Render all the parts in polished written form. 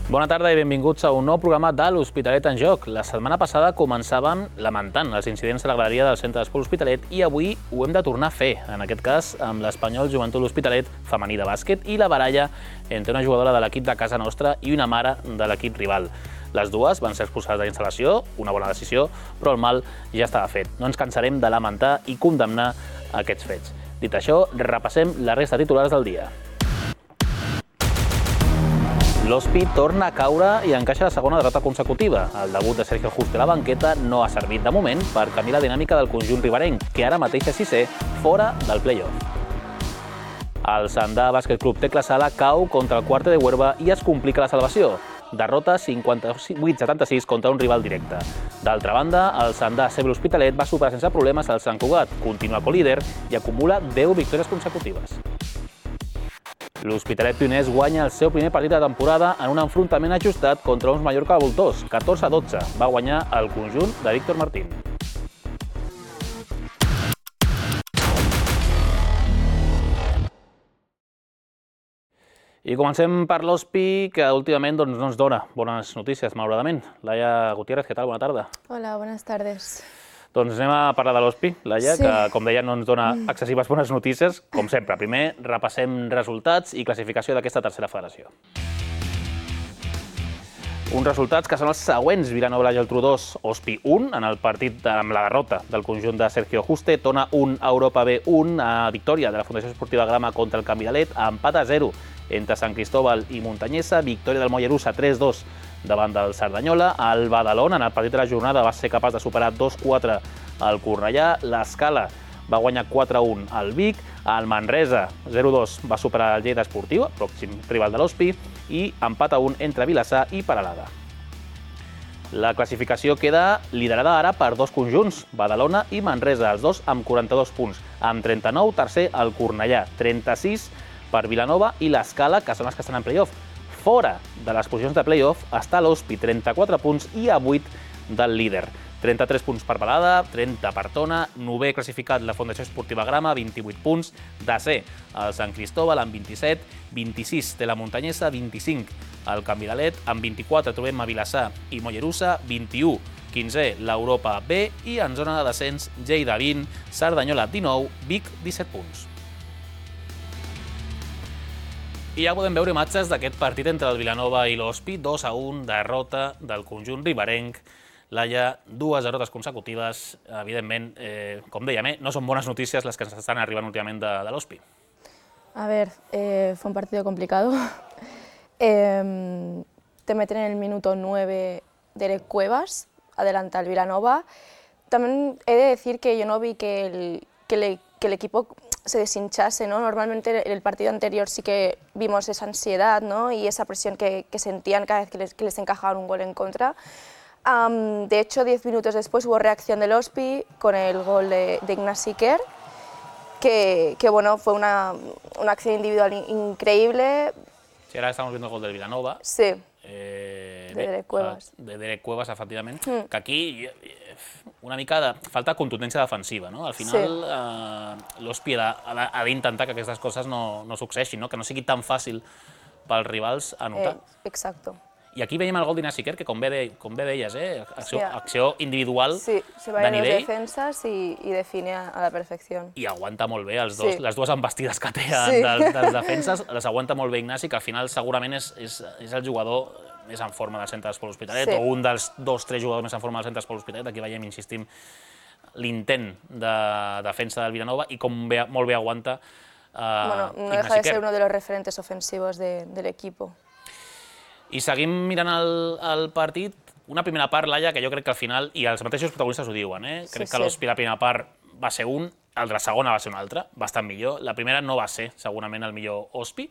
Bona tarda i benvinguts a un nou programa de l'Hospitalet en Joc. La setmana passada començàvem lamentant els incidents a la graderia del centre d'esport L'Hospitalet i avui ho hem de tornar a fer, en aquest cas amb l'Espanyol Joventut L'Hospitalet femení de bàsquet i la baralla entre una jugadora de l'equip de casa nostra i una mare de l'equip rival. Les dues van ser expulsades de la instal·lació, una bona decisió, però el mal ja estava fet. No ens cansarem de lamentar i condemnar aquests fets. Dit això, repassem la resta de titulars del dia. L'Hospi torna a caure i encaixa la segona derrota consecutiva. El debut de Sergio Juste a la banqueta no ha servit de moment per canviar la dinàmica del conjunt riberenc, que ara mateix és sisè, fora del play-off. El Sandà Bàsquet Club Tecla Sala cau contra el Quarte de Huerva i es complica la salvació. Derrota 58-76 contra un rival directe. D'altra banda, el Sandà CB L'Hospitalet va superar sense problemes el Sant Cugat, continua colíder i acumula 10 victòries consecutives. L'Hospitalet Pioners guanya el seu primer partit de temporada en un enfrontament ajustat contra uns Mallorca voltors, 14-12. Va guanyar el conjunt de Víctor Martín. I comencem per l'Hospi, que últimament no ens dona bones notícies, malauradament. Laia Gutiérrez, què tal? Bona tarda. Hola, buenas tardes. Doncs anem a parlar de l'Hospi, Laia, que com deia no ens dona excessives bones notícies, com sempre. Primer repassem resultats i classificació d'aquesta tercera federació. Uns resultats que són els següents: Vilanova i la Geltrú 2, Hospi 1, en el partit amb la derrota del conjunt de Sergio Juste, Tona 1, Europa B 1, victòria de la Fundació Esportiva Grama contra el Canvidalet, empat a 0 entre Sant Cristóbal i Muntanyesa, victòria del Mollerussa 3-2 davant del Cerdanyola. El Badalona, en el partit de la jornada, va ser capaç de superar 2-4 al Cornellà. L'Escala va guanyar 4-1 al Vic. El Manresa 0-2 va superar el Lleida Esportiu, pròxim rival de l'Hospi, i empat a 1 entre Vilassar i Peralada. La classificació queda liderada ara per dos conjunts, Badalona i Manresa, els dos amb 42 punts. Amb 39, tercer el Cornellà, 36 per Vilanova i l'Escala, que són els que estan en play-off. Fora de les posicions de play-off està l'Hospi, 34 punts i a 8 del líder. 33 punts per Peralada, 30 per Tona, 9è classificat la Fundació Esportiva Grama, 28 punts, 10è el Sant Cristóbal amb 27, 26 té la Muntanyesa, 25 el Canvidalet, amb 24 trobem a Vilassar i Mollerussa, 21, 15è l'Europa B i en zona de descens Lleida 20, Cerdanyola 19, Vic 17 punts. I ja podem veure imatges d'aquest partit entre el Vilanova i l'Hospi, 2-1, derrota del conjunt riberenc. Laia, dues derrotes consecutives, evidentment, com dèiem, no són bones notícies les que ens estan arribant últimament de l'Hospi. A ver, fue un partido complicado. Te meten en el minuto 9 Derek Cuevas, adelanta el Vilanova. También he de decir que yo no vi que el equipo se deshinchase, ¿no? Normalmente en el partido anterior sí que vimos esa ansiedad, ¿no? Y esa presión que sentían cada vez que les encajaban un gol en contra. De hecho, 10 minutos después hubo reacción del Hospi con el gol de Ignasi Kerr, que bueno, fue una acción individual increíble. Sí, ara estamos viendo el gol del Vilanova. Sí, de Derek Cuevas. De Derek Cuevas, efectivament, que aquí una mica de falta de contundència defensiva, no? Al final l'Hospi ha d'intentar que aquestes coses no succeeixin, que no sigui tan fàcil pels rivals anotar. Exacto. I aquí veiem el gol d'Ignasi Kerr, que com bé deies, acció individual de nivell. Sí, se va en dos defensas y define a la perfección. I aguanta molt bé, les dues embestides que té dels defenses, les aguanta molt bé Ignasi, que al final segurament és el jugador més en forma del centre d'esport L'Hospitalet, o un dels 2-3 jugadors més en forma del centre d'esport L'Hospitalet. Aquí veiem, insistim, l'intent de defensa del Vilanova i com molt bé aguanta Ignasi Kerr. Bueno, no deja de ser uno de los referentes ofensivos del equipo. I seguim mirant el partit. Una primera part, Laia, que jo crec que al final, i els mateixos protagonistes ho diuen, crec que l'Hospi la primera part va ser un, el de la segona va ser una altra, bastant millor. La primera no va ser segurament el millor Hospi,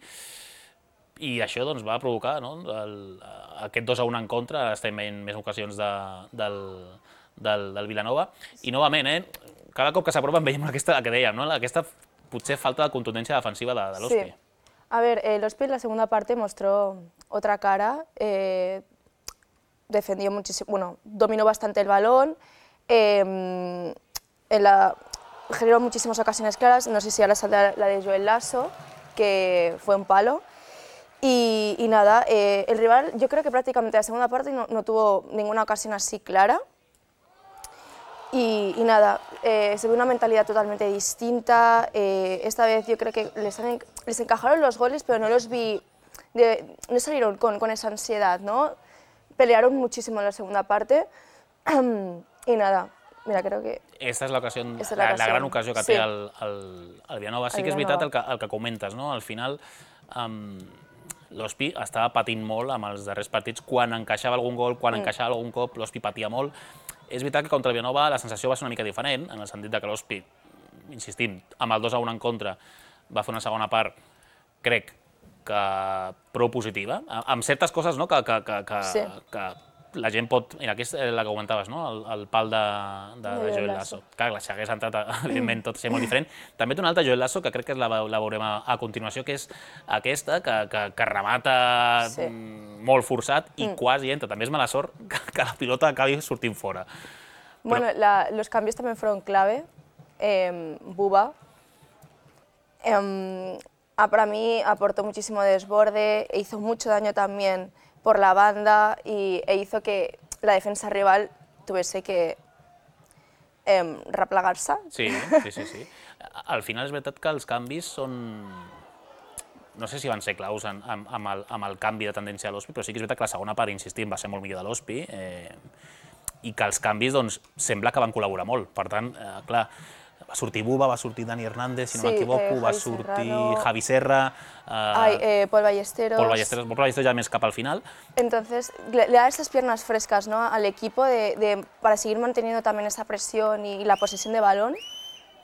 i això va provocar aquest 2-1 en contra. Estem veient més ocasions del Vilanova. I novament, cada cop que s'apropen veiem aquesta que dèiem, aquesta potser falta de contundència defensiva de l'Hospi. A ver, el Hospi en la segunda parte mostró otra cara, defendió muchísimo, bueno, dominó bastante el balón, generó muchísimas ocasiones claras, no sé si ahora saldrá la de Joel Lasso, que fue un palo, Y nada, el rival yo creo que prácticamente la segunda parte no tuvo ninguna ocasión así clara. Y nada, se ve una mentalidad totalmente distinta. Esta vez yo creo que les encajaron los goles, pero no los vi, no salieron con esa ansiedad, ¿no? Pelearon muchísimo en la segunda parte. Y nada, mira, creo que... Esta és la gran ocasió que té el Vilanova. Sí que és veritat el que comentes, no? Al final, l'Hospi estava patint molt amb els darrers partits. Quan encaixava algun gol, quan encaixava algun cop, l'Hospi patia molt. És veritat que contra el Vilanova la sensació va ser una mica diferent, en el sentit que l'Hospi, insistim, amb el 2-1 en contra, va fer una segona part, crec, que prou positiva, amb certes coses que la gent pot... Mira, aquí és la que comentaves, no? El pal de Joel Lasso. Clar, si hagués entrat, evidentment, tot seria molt diferent. També té una altra Joel Lasso, que crec que la veurem a continuació, que és aquesta, que remata molt forçat i quasi entra. També és mala sort que la pilota acabi sortint fora. Bueno, los cambios también fueron clave. Buba, para mí aportó muchísimo desborde, hizo mucho daño también por la banda e hizo que la defensa rival tuviese que replegar-se. Sí. Al final és veritat que els canvis són... No sé si van ser claus amb el canvi de tendència a l'Hospi, però sí que és veritat que la segona part, insistim, va ser molt millor de l'Hospi i que els canvis sembla que van col·laborar molt. Per tant, clar, va sortir Buba, va sortir Dani Hernández, si no m'equivoco, va sortir Javi Serra... Paul Ballesteros. Paul Ballesteros ya més cap al final. Entonces, le da esas piernas frescas, ¿no?, al equipo para seguir manteniendo también esa presión y la posesión de balón,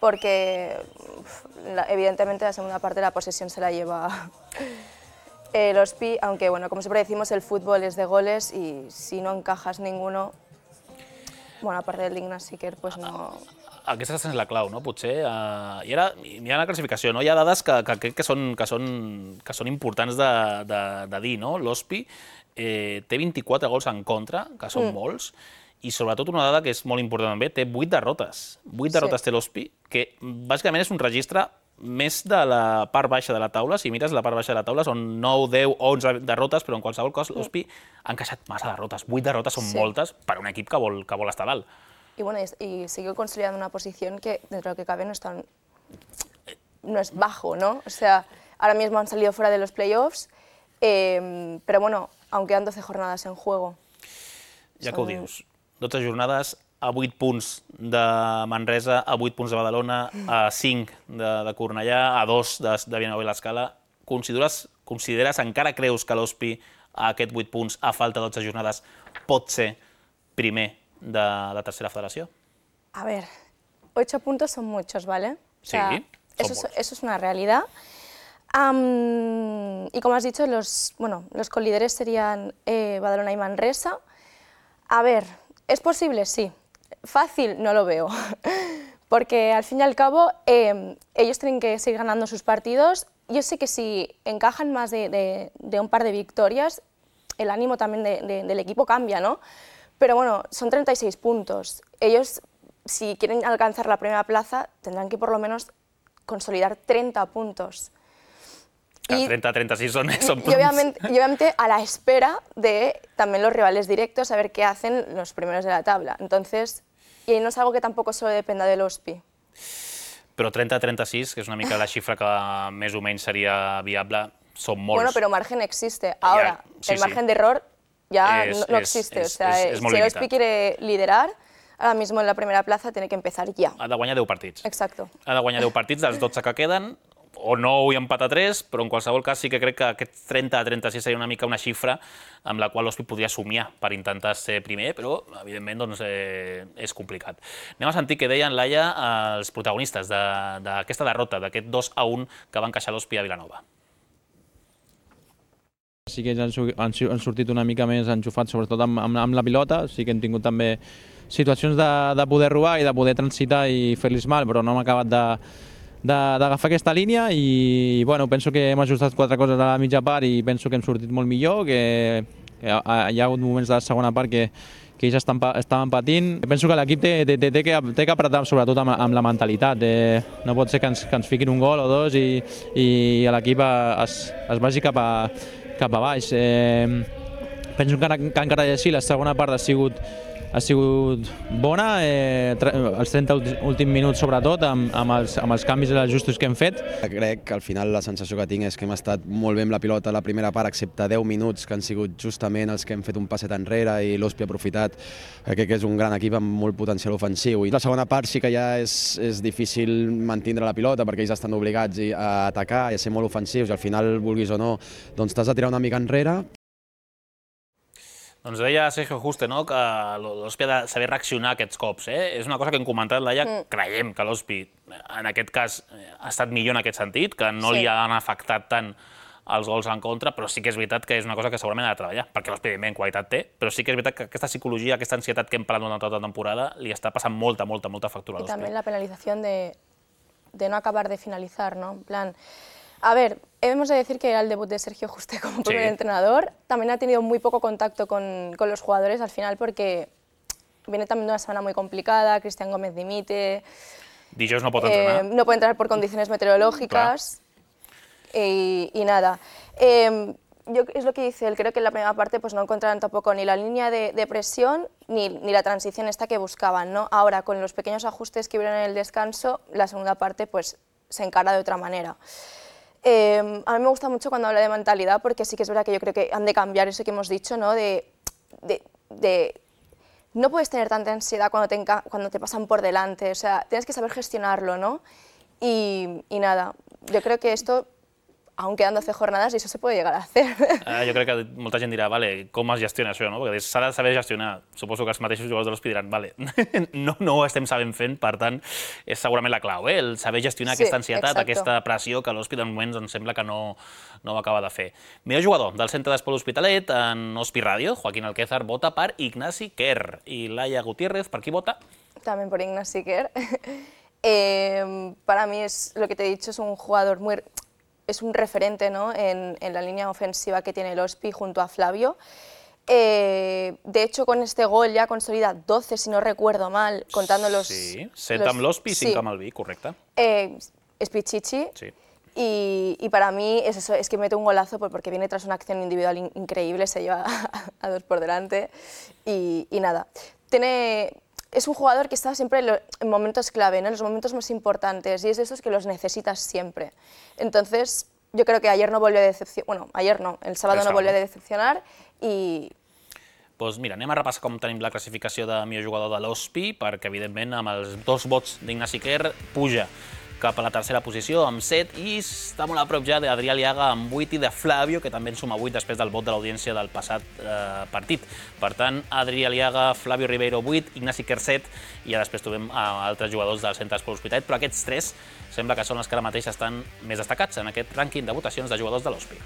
porque evidentemente la segunda parte de la posesión se la lleva el Hospi, aunque bueno, como siempre decimos, el fútbol es de goles y si no encajas ninguno, bueno, aparte del Ignas Siquer, pues no... Aquesta és la clau, no? Potser. I ara, mirant la classificació, hi ha dades que crec que són importants de dir, no? L'Hospi té 24 gols en contra, que són molts, i sobretot una dada que és molt important també, té 8 derrotes. 8 derrotes té l'Hospi, que bàsicament és un registre més de la part baixa de la taula. Si mires la part baixa de la taula són 9, 10, 11 derrotes, però en qualsevol cas l'Hospi ha encaixat massa derrotes. 8 derrotes són moltes per a un equip que vol estar dalt. Y bueno, y sigue consolidando una posición que, dentro de lo que cabe, no es bajo, ¿no? O sea, ahora mismo han salido fuera de los playoffs, pero bueno, aún quedan 12 jornadas en juego. Ja que ho dius, 12 jornades, a 8 punts de Manresa, a 8 punts de Badalona, a 5 de Cornellà, a 2 de Vilanova i l'Escala. Consideres, encara creus que l'Hospi, a aquests 8 punts, a falta de 12 jornades, pot ser primer de la tercera federació? A ver, 8 puntos son muchos, ¿vale? O sea, sí, eso es una realidad. Y como has dicho, los colíderes serían Badalona y Manresa. A ver, ¿es posible? Sí. Fácil no lo veo, porque al fin y al cabo ellos tienen que seguir ganando sus partidos. Yo sé que si encajan más de un par de victorias, el ánimo también del equipo cambia, ¿no? Pero bueno, son 36 puntos. Ellos, si quieren alcanzar la primera plaza, tendrán que por lo menos consolidar 30 puntos. Y 30-36 son puntos. Y obviamente a la espera de también los rivales directos, a ver qué hacen los primeros de la tabla. Entonces, y no es algo que tampoco solo dependa del Hospi. Però 30-36, que és una mica la xifra que més o menys seria viable, són molts. Bueno, pero margen existe. Ahora, el margen de error ya no existe. O sea, si el Hospi quiere liderar, ahora mismo en la primera plaza tiene que empezar ya. Ha de guanyar 10 partits. Exacto. Ha de guanyar 10 partits dels 12 que queden, o 9 i empatar 3, però en qualsevol cas sí que crec que aquest 30-36 seria una mica una xifra amb la qual l'Hospi podria somiar per intentar ser primer, però evidentment doncs, és complicat. Anem a sentir què deien, Laia, els protagonistes d'aquesta derrota, d'aquest 2-1 que va encaixar l'Hospi a Vilanova. Sí que han sortit una mica més enxufats, sobretot amb la pilota. Sí que hem tingut també situacions de poder robar i de poder transitar i fer-los mal, però no hem acabat d'agafar aquesta línia i bueno, penso que hem ajustat 4 coses a la mitja part i penso que hem sortit molt millor, que hi ha hagut moments de la segona part que ells estaven patint. Penso que l'equip té que apretar sobretot amb la mentalitat. No pot ser que ens fiquin un gol o dos i l'equip es vagi cap cap a baix. Penso que encara així la segona part ha sigut bona, els 30 últims minuts sobretot, amb els canvis i els ajustos que hem fet. Crec que al final la sensació que tinc és que hem estat molt bé amb la pilota la primera part, excepte 10 minuts que han sigut justament els que hem fet un passet enrere i l'Hospi ha aprofitat. Crec que és un gran equip amb molt potencial ofensiu. I la segona part sí que ja és difícil mantindre la pilota perquè ells estan obligats a atacar i a ser molt ofensius i al final, vulguis o no, doncs t'has de tirar una mica enrere. Doncs deia Sergio Juste que l'Hospi ha de saber reaccionar a aquests cops. És una cosa que hem comentat, Laia, creiem que l'Hospi en aquest cas ha estat millor en aquest sentit, que no li han afectat tant els gols en contra, però sí que és veritat que és una cosa que segurament ha de treballar, perquè l'Hospi evidentment qualitat té, però sí que és veritat que aquesta psicologia, aquesta ansietat que hem parlat durant tota la temporada li està passant molta factura a l'Hospi. Y también la penalización de no acabar de finalizar, ¿no? En plan, a ver, hemos de decir que era el debut de Sergio Juste como primer entrenador. También ha tenido muy poco contacto con los jugadores al final porque viene también de una semana muy complicada, Cristian Gómez dimite. Dijous no pot entrenar. No puede entrar por condiciones meteorológicas y nada. Es lo que dice él, creo que en la primera parte pues, no encontraron tampoco ni la línea de presión ni la transición esta que buscaban, ¿no? Ahora, con los pequeños ajustes que hubieron en el descanso, la segunda parte pues, se encara de otra manera. A mí me gusta mucho cuando habla de mentalidad porque sí que es verdad que yo creo que han de cambiar eso que hemos dicho, ¿no? No puedes tener tanta ansiedad cuando te pasan por delante, o sea, tienes que saber gestionarlo, ¿no? Y nada, yo creo que esto, aún quedando 12 jornadas, eso se puede llegar a hacer. Jo crec que molta gent dirà, vale, com es gestiona això, no? Perquè s'ha de saber gestionar. Suposo que els mateixos jugadors de l'Hospi diran, vale, no ho estem sabent fent, per tant, és segurament la clau, el saber gestionar aquesta ansietat, aquesta pressió que l'Hospi de moment doncs, sembla que no ho acaba de fer. Millor jugador del centre d'Esport L'Hospitalet, en Hospi Radio, Joaquín Alquézar, vota per Ignasi Quer. I Laia Gutiérrez, per qui vota? También por Ignasi Quer. Para mí es lo que te he dicho, es un jugador es un referente, ¿no? en la línea ofensiva que tiene el Hospi junto a Flavio. De hecho, con este gol ya consolida 12, si no recuerdo mal, contando los... Sí, 7 amb l'Hospi i 5 amb el Vi, correcte. Es Pichichi. Sí. Y para mí es eso, es que mete un golazo porque viene tras una acción individual increíble, se lleva a dos por delante y nada. Es un jugador que está siempre en momentos clave, ¿no? En los momentos más importantes, y es de esos que los necesitas siempre. Entonces, yo creo que ayer no volvió a decepcionar, bueno, ayer no, el sábado no volvió a decepcionar y... Doncs mira, anem a repassar com tenim la classificació de millor jugador de l'Hospi, perquè evidentment amb els 2 vots d'Ignasi Quer puja cap a la tercera posició amb 7 i està molt a prop ja d'Adrià Aliaga amb 8 i de Flavio, que també en suma 8 després del vot de l'audiència del passat partit. Per tant, Adrià Aliaga, Flavio Ribeiro 8, Ignasi Quer 7 i ja després trobem altres jugadors del centre d'Esport L'Hospitalet, però aquests 3 sembla que són els que ara mateix estan més destacats en aquest rànquing de votacions de jugadors de l'Hospi.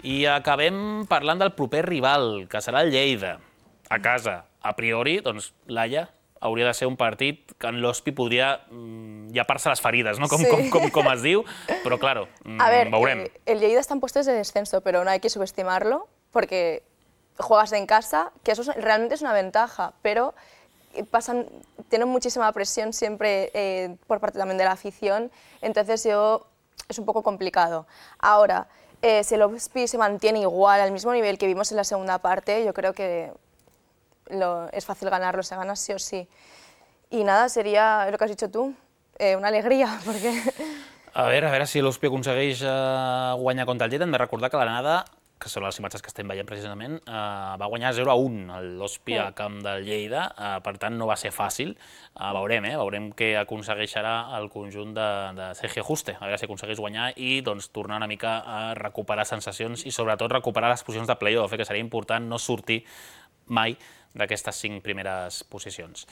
I acabem parlant del proper rival, que serà el Lleida, a casa. A priori, doncs, Laia, hauria de ser un partit que en l'Hospi podria llepar-se les ferides, ¿no? Com es diu, però claro, veurem. El Lleida está en puestos de descenso, pero no hay que subestimarlo, porque juegas en casa, que eso realmente es una ventaja, pero tienen muchísima presión siempre por parte también de la afición, entonces es un poco complicado. Ahora, si el Hospi se mantiene igual, al mismo nivel que vimos en la segunda parte, yo creo que es fácil ganarlo, se gana sí o sí. Y nada, sería lo que has dicho tú, una alegría, porque... A veure si l'Hospi aconsegueix guanyar contra el Lleida. Hem de recordar que l'anada, que són les imatges que estem veient precisament, va guanyar 0-1 l'Hospi al camp del Lleida, per tant no va ser fàcil. Veurem què aconsegueixarà el conjunt de Sergio Juste, a veure si aconsegueix guanyar i tornar una mica a recuperar sensacions i sobretot recuperar les posicions de play-off, que seria important no sortir mai d'aquestes 5 primeres posicions.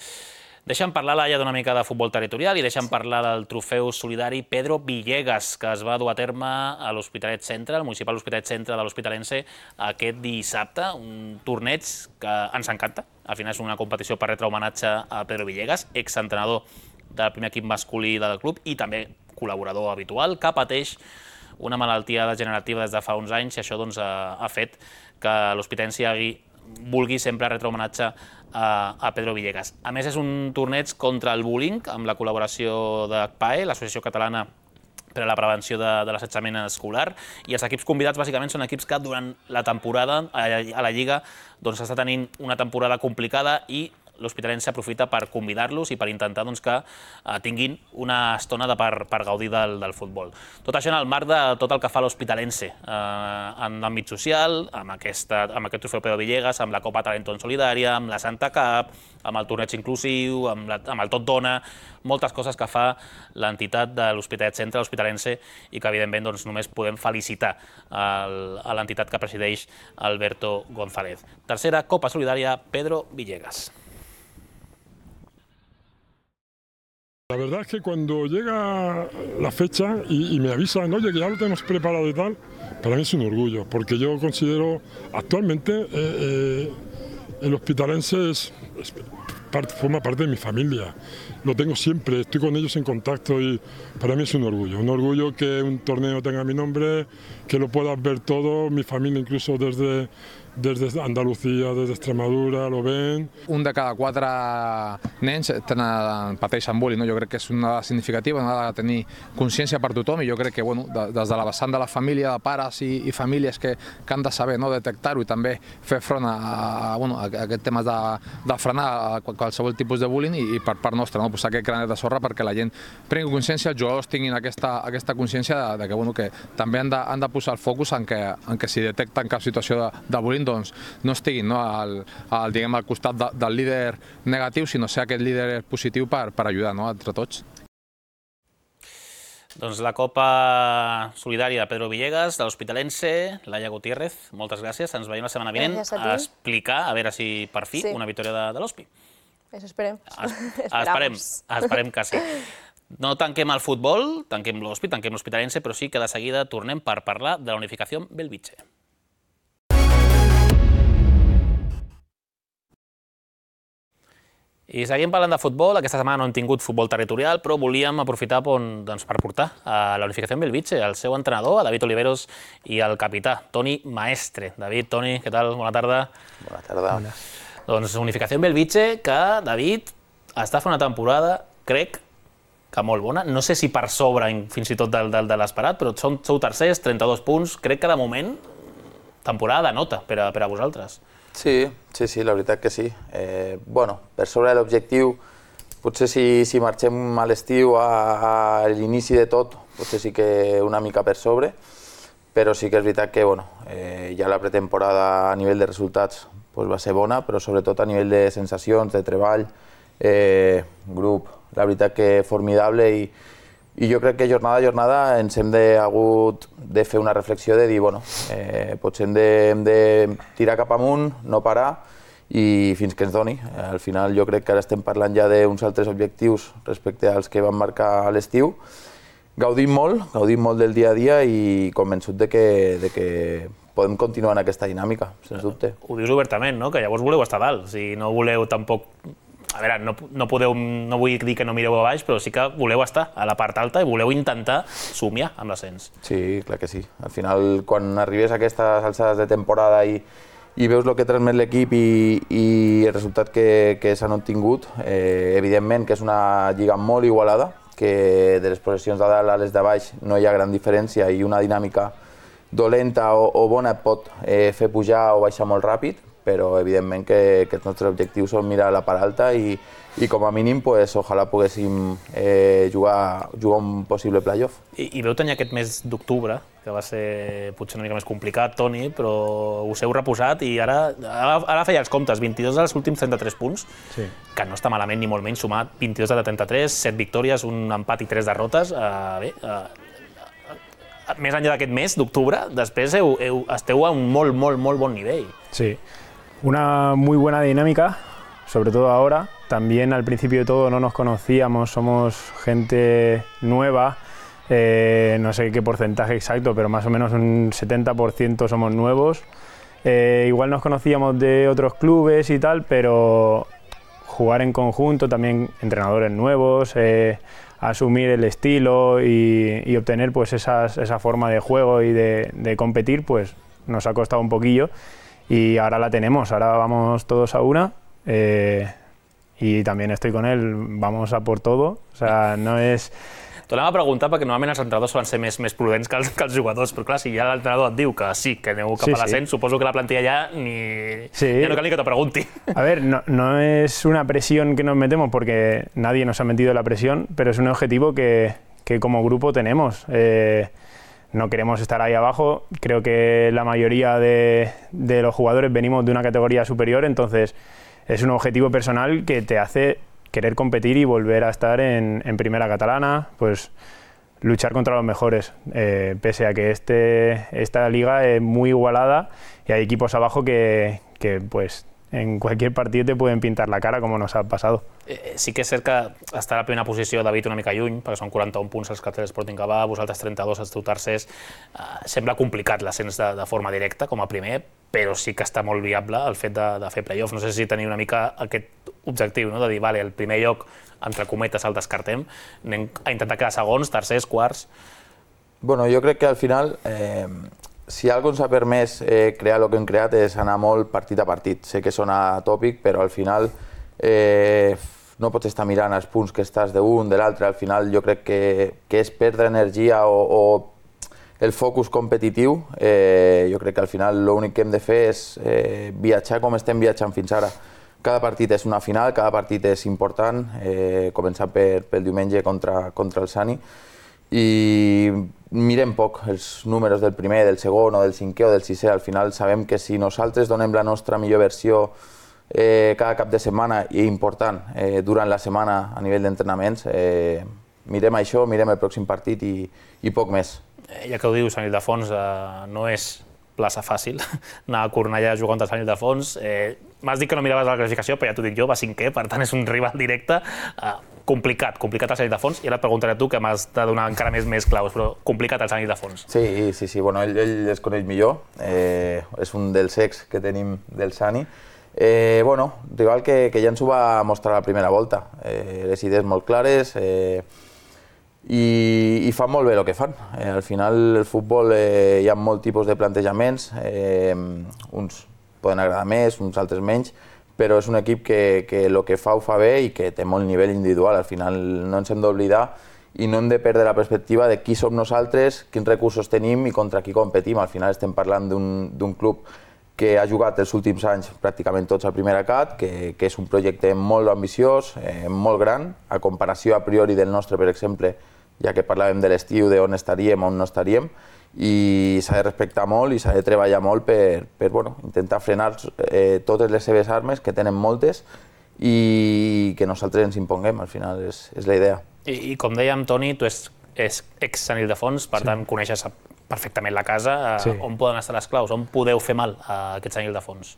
Deixa'm parlar, Laia, d'una mica de futbol territorial i deixa'm parlar del trofeu solidari Pedro Villegas, que es va dur a terme a l'Hospitalet Centre, al municipal Hospitalet Centre de l'Hospitalense, aquest dissabte, un torneig que ens encanta. Al final és una competició per retre homenatge a Pedro Villegas, exentrenador del primer equip masculí del club i també col·laborador habitual, que pateix una malaltia degenerativa des de fa uns anys i això ha fet que l'hospitalense vulgui sempre retre homenatge a Pedro Villegas. A més, és un torneig contra el bullying, amb la col·laboració d'ACPAE, l'Associació Catalana per a la prevenció de l'assetjament escolar, i els equips convidats bàsicament són equips que durant la temporada a la Lliga doncs està tenint una temporada complicada i l'Hospitalense aprofita per convidar-los i per intentar que tinguin una estona per gaudir del futbol. Tot això en el marc de tot el que fa l'Hospitalense en l'àmbit social, amb aquest trofeu Pedro Villegas, amb la Copa Talento en Solidària, amb la Santa Cup, amb el torneig inclusiu, amb el Tot Dona, moltes coses que fa l'entitat de l'Hospitalet Centre, l'Hospitalense, i que evidentment només podem felicitar a l'entitat que presideix Alberto González. Tercera Copa Solidària Pedro Villegas. La verdad es que cuando llega la fecha y me avisan, oye, que ya lo tenemos preparado y tal, para mí es un orgullo, porque yo considero actualmente el Hospitalense forma parte de mi familia. Lo tengo siempre, estoy con ellos en contacto y para mí es un orgullo que un torneo tenga mi nombre, que lo puedas ver todo, mi familia incluso desde Andalucía, des d'Extremadura, lo ven. Un de cada 4 nens pateixen bullying, no? Jo crec que és una dada significativa, una dada de tenir consciència per tothom, i jo crec que des de la vessant de la família, de pares i famílies que han de saber detectar-ho i també fer front a aquest tema de frenar qualsevol tipus de bullying, i per part nostra posar aquest granet de sorra perquè la gent prengui consciència, els jugadors tinguin aquesta consciència que també han de posar el focus en que si detecten cap situació de bullying no estiguin al costat del líder negatiu, sinó ser aquest líder positiu per ajudar entre tots. Doncs la Copa Solidària Pedro Villegas, de l'Hospitalense, Laia Gutiérrez, moltes gràcies. Ens veiem la setmana vinent a explicar, a veure si per fi una victòria de l'Hospi. Eso esperem. Esperem que sí. No tanquem el futbol, tanquem l'Hospi, tanquem l'Hospitalense, però sí que de seguida tornem per parlar de la unificació Belvitge. I seguim parlant de futbol. Aquesta setmana no hem tingut futbol territorial, però volíem aprofitar per portar a la unificació en Belvitge el seu entrenador, a David Oliveros, i el capità, Toni Maestre. David, Toni, què tal? Bona tarda. Bona tarda. Doncs unificació en Belvitge, que David està fent una temporada, crec, que molt bona. No sé si per sobre fins i tot de l'esperat, però sou tercers, 32 punts. Crec que de moment temporada de nota per a vosaltres. Sí, la veritat que sí. Per sobre de l'objectiu, potser si marxem a l'estiu, a l'inici de tot, potser sí que una mica per sobre, però sí que és veritat que ja la pretemporada a nivell de resultats va ser bona, però sobretot a nivell de sensacions, de treball, grup, la veritat que formidable, i jo crec que jornada a jornada ens hem hagut de fer una reflexió de dir, potser hem de tirar cap amunt, no parar, i fins que ens doni. Al final jo crec que ara estem parlant ja d'uns altres objectius respecte als que vam marcar a l'estiu. Gaudim molt del dia a dia i convençut de que podem continuar en aquesta dinàmica, sens dubte. Ho dius obertament, que llavors voleu estar dalt, si no voleu tampoc... A veure, no vull dir que no mireu a baix, però sí que voleu estar a la part alta i voleu intentar somiar amb l'ascens. Sí, clar que sí. Al final, quan arribes a aquestes alçades de temporada i veus el que transmet l'equip i el resultat que s'han obtingut, evidentment que és una lliga molt igualada, que de les possessions de dalt a les de baix no hi ha gran diferència i una dinàmica dolenta o bona et pot fer pujar o baixar molt ràpid, però evidentment que els nostres objectius són mirar a la part alta i com a mínim ojalà poguéssim jugar un possible playoff. I veu tenir aquest mes d'octubre, que va ser potser una mica més complicat, Toni, però us heu reposat i ara feia els comptes, 22 dels últims 33 punts, que no està malament ni molt menys, sumat 22 de 33, 7 victòries, un empat i 3 derrotes. Més enllà d'aquest mes d'octubre, després esteu a un molt bon nivell. Sí. Una muy buena dinámica, sobre todo ahora. También al principio de todo no nos conocíamos, somos gente nueva, no sé qué porcentaje exacto, pero más o menos un 70% somos nuevos. Igual nos conocíamos de otros clubes y tal, pero jugar en conjunto, también entrenadores nuevos, asumir el estilo y obtener pues esa forma de juego y de competir, pues nos ha costado un poquillo. Y ahora la tenemos, ahora vamos todos a una y también estoy con él, vamos a por todo, o sea, no es T'ho anava a preguntar perquè normalment els entrenadors solen ser més prudents que els jugadors, però clar, si ja l'entrenador et diu que sí, que aneu cap a l'ascens, suposo que la plantilla ja no cal ni que te pregunti. A ver, no es una presión que nos metemos porque nadie nos ha metido la presión, pero es un objetivo que como grupo tenemos. No queremos estar ahí abajo, creo que la mayoría de los jugadores venimos de una categoría superior, entonces es un objetivo personal que te hace querer competir y volver a estar en primera catalana, pues luchar contra los mejores, pese a que esta liga es muy igualada y hay equipos abajo que pues en cualquier partido te pueden pintar la cara, como nos ha pasado. Sí que és cert que està a la primera posició David una mica lluny, perquè són 41 punts els que té l'Sporting Gavà, vosaltres 32, els teu tercers. Sembla complicat l'ascens de forma directa com a primer, però sí que està molt viable el fet de fer play-off. No sé si teniu una mica aquest objectiu, no? De dir, vale, el primer lloc, entre cometes, el descartem, anem a intentar quedar segons, tercers, quarts... Bueno, jo crec que al final, si alguna cosa ens ha permès crear el que hem creat és anar molt partit a partit. Sé que sona tòpic, però al final no pots estar mirant els punts que estàs d'un, de l'altre. Al final jo crec que és perdre energia o el focus competitiu. Jo crec que al final l'únic que hem de fer és viatjar com estem viatjant fins ara. Cada partit és una final, cada partit és important, començant pel diumenge contra el Sani. I mirem poc els números del primer, del segon o del cinquè o del sisè. Al final sabem que si nosaltres donem la nostra millor versió cada cap de setmana i important durant la setmana a nivell d'entrenaments, mirem això, mirem el pròxim partit i poc més. Ja que ho dius, Sant Ildefons no és plaça fàcil anar a Cornellà a jugar contra Sant Ildefons. M'has dit que no miraves la classificació, però ja t'ho dic jo, va cinquè, per tant és un rival directe. Complicat el Sant Ildefons, i ara et preguntaré a tu, que m'has de donar encara més claus, però complicat el Sant Ildefons. Sí, bueno, ell es coneix millor, és un dels ex que tenim del Sani. Bueno, rival que ja ens ho va mostrar la primera volta, les idees molt clares i fan molt bé el que fan. Al final el futbol hi ha molt tipus de plantejaments, uns poden agradar més, uns altres menys, però és un equip que el que fa ho fa bé i que té molt nivell individual. Al final no ens hem d'oblidar i no hem de perdre la perspectiva de qui som nosaltres, quins recursos tenim i contra qui competim. Al final estem parlant d'un club que ha jugat els últims anys pràcticament tots a primera cat, que és un projecte molt ambiciós, molt gran, a comparació a priori del nostre, per exemple, ja que parlàvem de l'estiu, d'on estaríem, on no estaríem, i s'ha de respectar molt i s'ha de treballar molt per intentar frenar totes les seves armes, que tenen moltes, i que nosaltres ens imponguem, al final és la idea. I com dèiem, Toni, tu ets ex-Sant Ildefons, per tant coneixes perfectament la casa. On poden estar les claus? On podeu fer mal a aquest Sant Ildefons?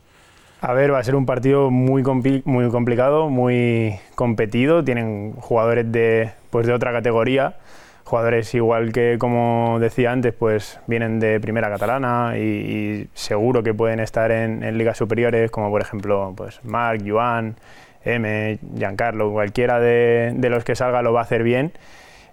A ver, va a ser un partido muy complicado, muy competido. Tienen jugadores de otra categoría, jugadores igual que, como decía antes, pues vienen de primera catalana y seguro que pueden estar en ligas superiores, como por ejemplo pues Marc, Joan, M, Giancarlo, cualquiera de los que salga lo va a hacer bien.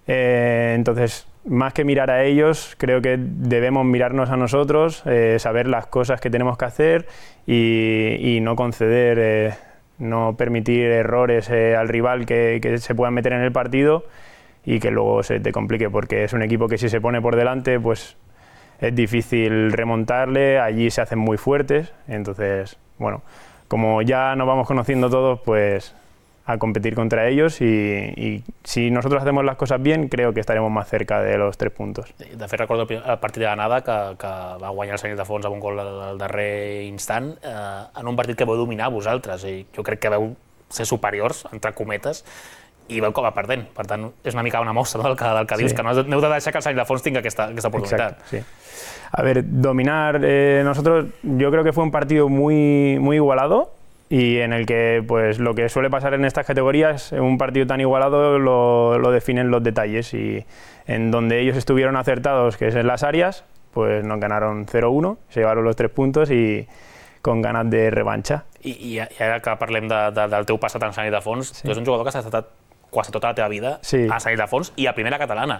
Entonces, más que mirar a ellos, creo que debemos mirarnos a nosotros, saber las cosas que tenemos que hacer y no conceder, no permitir errores al rival que se puedan meter en el partido y que luego se te complique, porque es un equipo que si se pone por delante, pues es difícil remontarle, allí se hacen muy fuertes. Entonces, bueno, como ya nos vamos conociendo todos, pues a competir contra ellos y si nosotros hacemos las cosas bien, creo que estaremos más cerca de los 3 puntos. De fet, recordo el partit de l'anada que va guanyar el Sant Ildefons amb un gol al darrer instant, en un partit que vau dominar vosaltres, i jo crec que vau ser superiors, entre cometes, i vau acabar perdent. Per tant, és una mica una mostra del que dius, que no heu de deixar que el Sant Ildefons tingui aquesta oportunitat. Exacto, sí. A ver, dominar, nosotros, yo creo que fue un partido muy igualado, y en el que pues lo que suele pasar en estas categorías, en un partido tan igualado lo definen los detalles, y en donde ellos estuvieron acertados, que es en las áreas, pues nos ganaron 0-1, se llevaron los 3 puntos y con ganas de revancha. I ara que parlem del teu passat en Sant Ildefons, tu ets un jugador que has estat quasi tota la teva vida a Sant Ildefons i a primera catalana.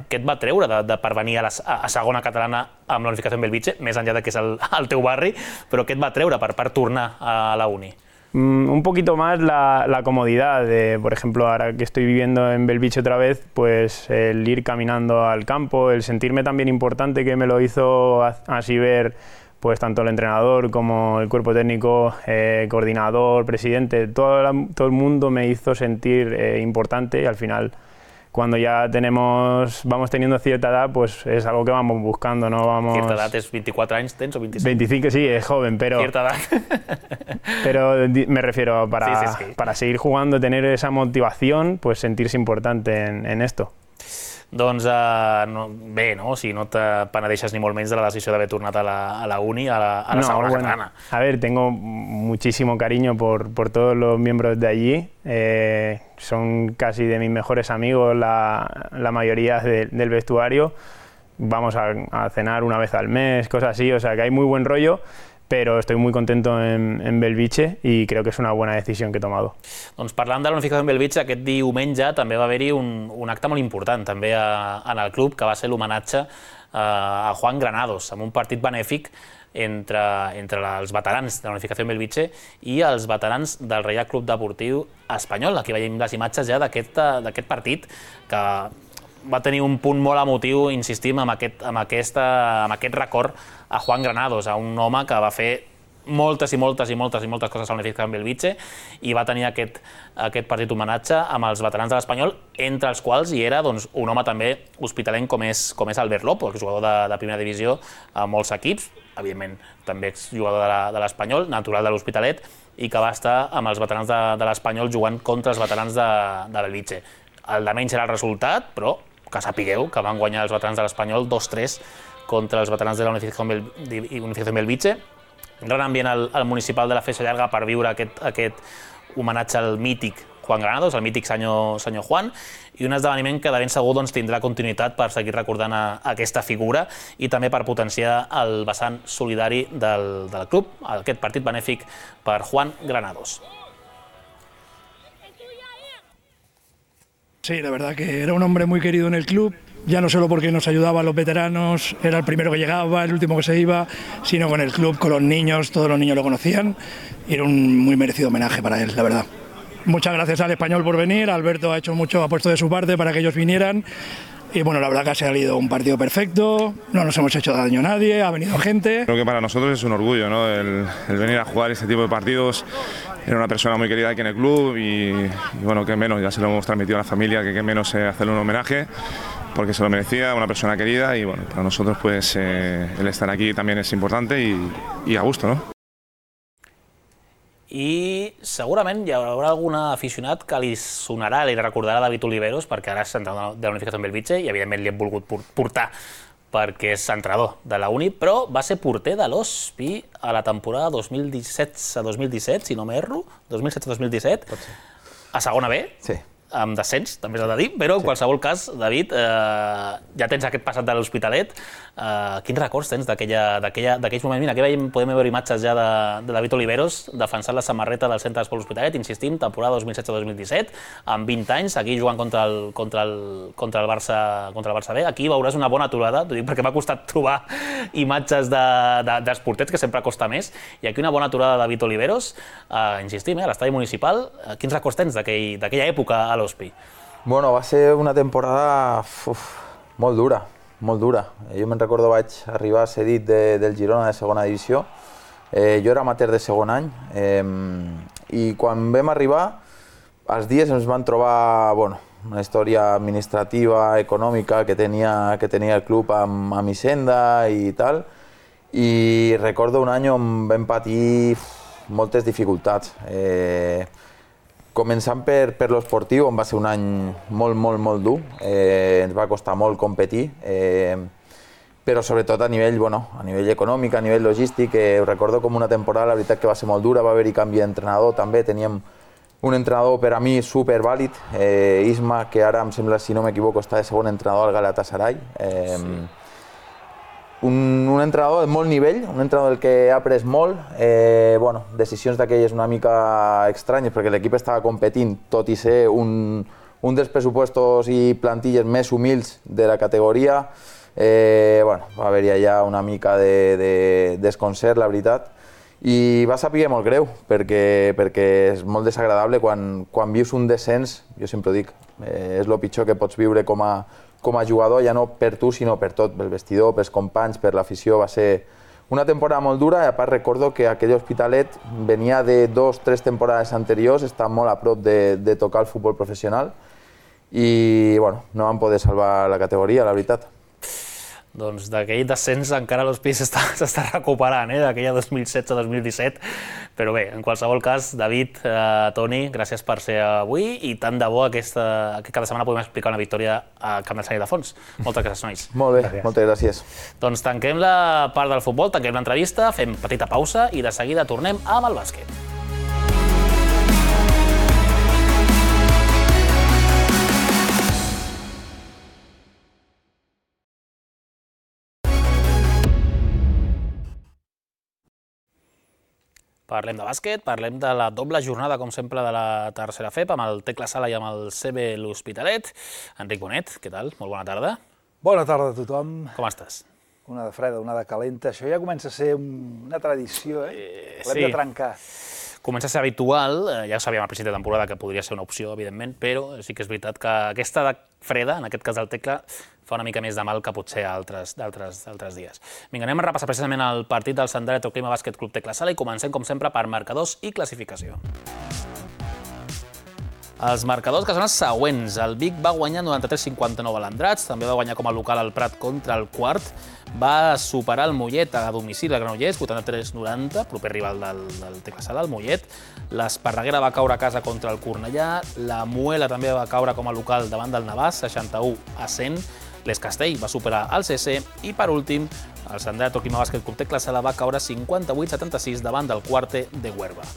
Què et va treure per venir a segona catalana amb la unificació amb Bellvitge, més enllà que és el teu barri, però què et va treure per tornar a la uni? Un poquito más la comodidad de, por ejemplo, ahora que estoy viviendo en Belviche otra vez, pues el ir caminando al campo, el sentirme también importante, que me lo hizo así ver pues tanto el entrenador como el cuerpo técnico, coordinador, presidente, todo el mundo me hizo sentir importante, y al final, cuando ya vamos teniendo cierta edad, pues es algo que vamos buscando, no vamos... Cierta edad es 24 anys, tens, o 25? 25, sí, es joven, pero... Cierta edad. Pero me refiero, para seguir jugando, tener esa motivación, pues sentirse importante en esto. Doncs bé, no? O sigui, no te penedeixes ni molt menys de la decisió d'haver tornat a la uni, a la segona catalana. A ver, tengo muchísimo cariño por todos los miembros de allí. Son casi de mis mejores amigos la mayoría del vestuario. Vamos a cenar una vez al mes, cosas así, o sea que hay muy buen rollo. Pero estoy muy contento en Belviche y creo que es una buena decisión que he tomado. Doncs parlant de la unificació en Belviche, aquest diumenge també va haver-hi un acte molt important també en el club, que va ser l'homenatge a Juan Granados, amb un partit benèfic entre els veterans de la unificació en Belviche i els veterans del Reial Club Deportiu Espanyol. Aquí veiem les imatges ja d'aquest partit, que va tenir un punt molt emotiu, insistim, amb aquest record a Juan Granados, a un home que va fer moltes coses a l'unificació en Belviche i va tenir aquest partit homenatge amb els veterans de l'Espanyol, entre els quals hi era un home també hospitalenc com és Albert Lopo, jugador de primera divisió a molts equips, evidentment també exjugador de l'Espanyol, natural de l'Hospitalet, i que va estar amb els veterans de l'Espanyol jugant contra els veterans de Belviche. El de menys era el resultat, però que sapigueu que van guanyar els veterans de l'Espanyol 2-3 contra els veterans de la unificació en Belviche. Un gran ambient al municipal de la Feixa Llarga per viure aquest homenatge al mític Juan Granados, al mític senyor Juan, i un esdeveniment que de ben segur tindrà continuïtat per seguir recordant aquesta figura i també per potenciar el vessant solidari del club, aquest partit benèfic per Juan Granados. Sí, la verdad que era un hombre muy querido en el club, ya no solo porque nos ayudaba a los veteranos, era el primero que llegaba, el último que se iba, sino con el club, con los niños, todos los niños lo conocían, y era un muy merecido homenaje para él, la verdad. Muchas gracias al Español por venir, Alberto ha puesto de su parte para que ellos vinieran, y bueno, la verdad que ha salido un partido perfecto, no nos hemos hecho daño a nadie, ha venido gente. Creo que para nosotros es un orgullo, ¿no? el venir a jugar este tipo de partidos. Era una persona muy querida aquí en el club y bueno, qué menos, ya se lo hemos transmitido a la familia, que qué menos hacerle un homenaje, porque se lo merecía, una persona querida, y bueno, para nosotros pues el estar aquí también es importante y a gusto, ¿no? I segurament hi haurà algun aficionat que li sonarà, li recordarà David Oliveros, perquè ara és entrenador de la unificació en Belviche i evidentment li hem volgut portar perquè és entrenador de la Uni, però va ser porter de l'Hospi a la temporada 2017, si no m'erro, 2016-2017, a segona B, amb descens, també s'ha de dir, però en qualsevol cas, David, ja tens aquest passat de l'Hospitalet. Quins records tens d'aquells moments? Mira, aquí podem veure imatges ja de David Oliveros defensant la samarreta del Centre d'Esport L'Hospitalet, insistim, temporada 2016-2017, amb 20 anys, aquí jugant contra el Barça B. Aquí veuràs una bona aturada, t'ho dic perquè m'ha costat trobar imatges dels porters, que sempre costa més, i aquí una bona aturada de David Oliveros, insistim, a l'estadi municipal. Quins records tens d'aquella època a l'Hospi? Bueno, va ser una temporada molt dura. Molt dura. Jo me'n recordo, vaig arribar cedit del Girona de segona divisió. Jo era amateur de segon any i quan vam arribar, els dies ens van trobar una història administrativa, econòmica que tenia el club amb Hisenda i tal, i recordo un any on vam patir moltes dificultats. Començant per l'esportiu, on va ser un any molt dur, ens va costar molt competir, però sobretot a nivell econòmic, a nivell logístic. Ho recordo com una temporada, la veritat que va ser molt dura, va haver-hi canvi d'entrenador també, teníem un entrenador per a mi supervàlid, Isma, que ara em sembla, si no m'equivoco, està de segon entrenador al Galatasaray. Un entrenador de molt nivell, un entrenador del que he après molt, decisions d'aquelles una mica estranyes perquè l'equip estava competint, tot i ser un dels pressupostos i plantilles més humils de la categoria. Va haver-hi allà una mica de desconcert, la veritat, i va saber molt greu, perquè és molt desagradable quan vius un descens, jo sempre ho dic, és el pitjor que pots viure com a jugador, ja no per tu, sinó per tot, pel vestidor, pels companys, per l'afició. Va ser una temporada molt dura i a part recordo que aquell Hospitalet venia de 2 o 3 temporades anteriors, està molt a prop de tocar el futbol professional i bueno, no van poder salvar la categoria, la veritat. Doncs d'aquell descens encara l'Hospi s'està recuperant, d'aquella 2016-2017, però bé, en qualsevol cas, David, Toni, gràcies per ser avui i tant de bo que cada setmana podem explicar una victòria al Camp del Sant Ildefons. Moltes gràcies, nois. Molt bé, moltes gràcies. Doncs tanquem la part del futbol, tanquem l'entrevista, fem petita pausa i de seguida tornem amb el bàsquet. Parlem de bàsquet, parlem de la doble jornada, com sempre, de la tercera FEP, amb el Tecla Sala i amb el CB L'Hospitalet. Enric Bonet, què tal? Molt bona tarda. Bona tarda a tothom. Com estàs? Una de freda, una de calenta. Això ja comença a ser una tradició, L'hem de trencar. Comença a ser habitual, ja sabíem al principi de temporada que podria ser una opció, evidentment, però sí que és veritat que aquesta freda, en aquest cas del Tecla, fa una mica més de mal que potser altres dies. Vinga, anem a repassar precisament el partit del Sant Electroclima Bàsquet Club Tecla Sala i comencem, com sempre, per marcadors i classificació. Els marcadors que són els següents. El Vic va guanyar 93-59 a l'Andrats, també va guanyar com a local el Prat contra el Quart, va superar el Mollet a domicili al Granollers, 83-90, proper rival del Tecla Sala, el Mollet. L'Esparreguera va caure a casa contra el Cornellà, la Muela també va caure com a local davant del Navàs, 61-100, l'Escastell va superar el CC i, per últim, el Sant Electroclima Bàsquet Club Tecla Sala va caure 58-76 davant del Quarte de Huerva.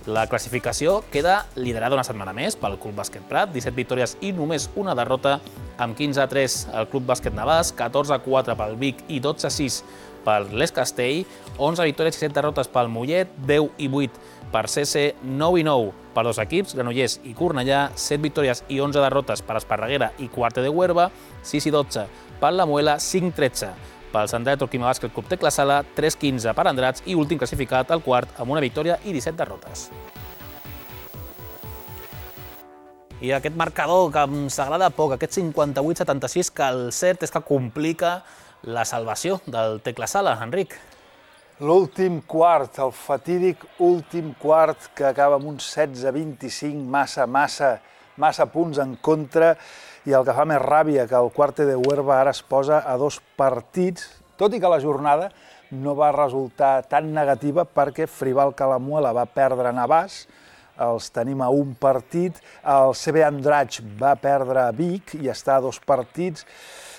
La classificació queda liderada una setmana més pel Club Bàsquet Prat, 17 victòries i només una derrota, amb 15-3 el Club Bàsquet Navàs, 14-4 pel Vic i 12-6 per l'Escastell, 11 victòries i 7 derrotes pel Mollet, 10-8 per CC, 9-9 per dos equips, Granollers i Cornellà, 7 victòries i 11 derrotes per Esparreguera i Quarte de Huerva, 6-12 per la Muela, 5-13 pel Sant Electroclima Bàsquet Club Tecla Sala, 3-15 per Andrats i últim classificat el Quart amb una victòria i 17 derrotes. I aquest marcador que em s'agrada poc, aquest 58-76, que el cert és que complica la salvació del Tecla Sala, Enric. L'últim quart, el fatídic últim quart que acaba amb un 16-25, massa punts en contra, i el que fa més ràbia que el Quarte de Huerva ara es posa a 2 partits, tot i que la jornada no va resultar tan negativa perquè Frival Calamuela va perdre a Navàs, els tenim a 1 partit, el CB Andratx va perdre a Vic i està a 2 partits,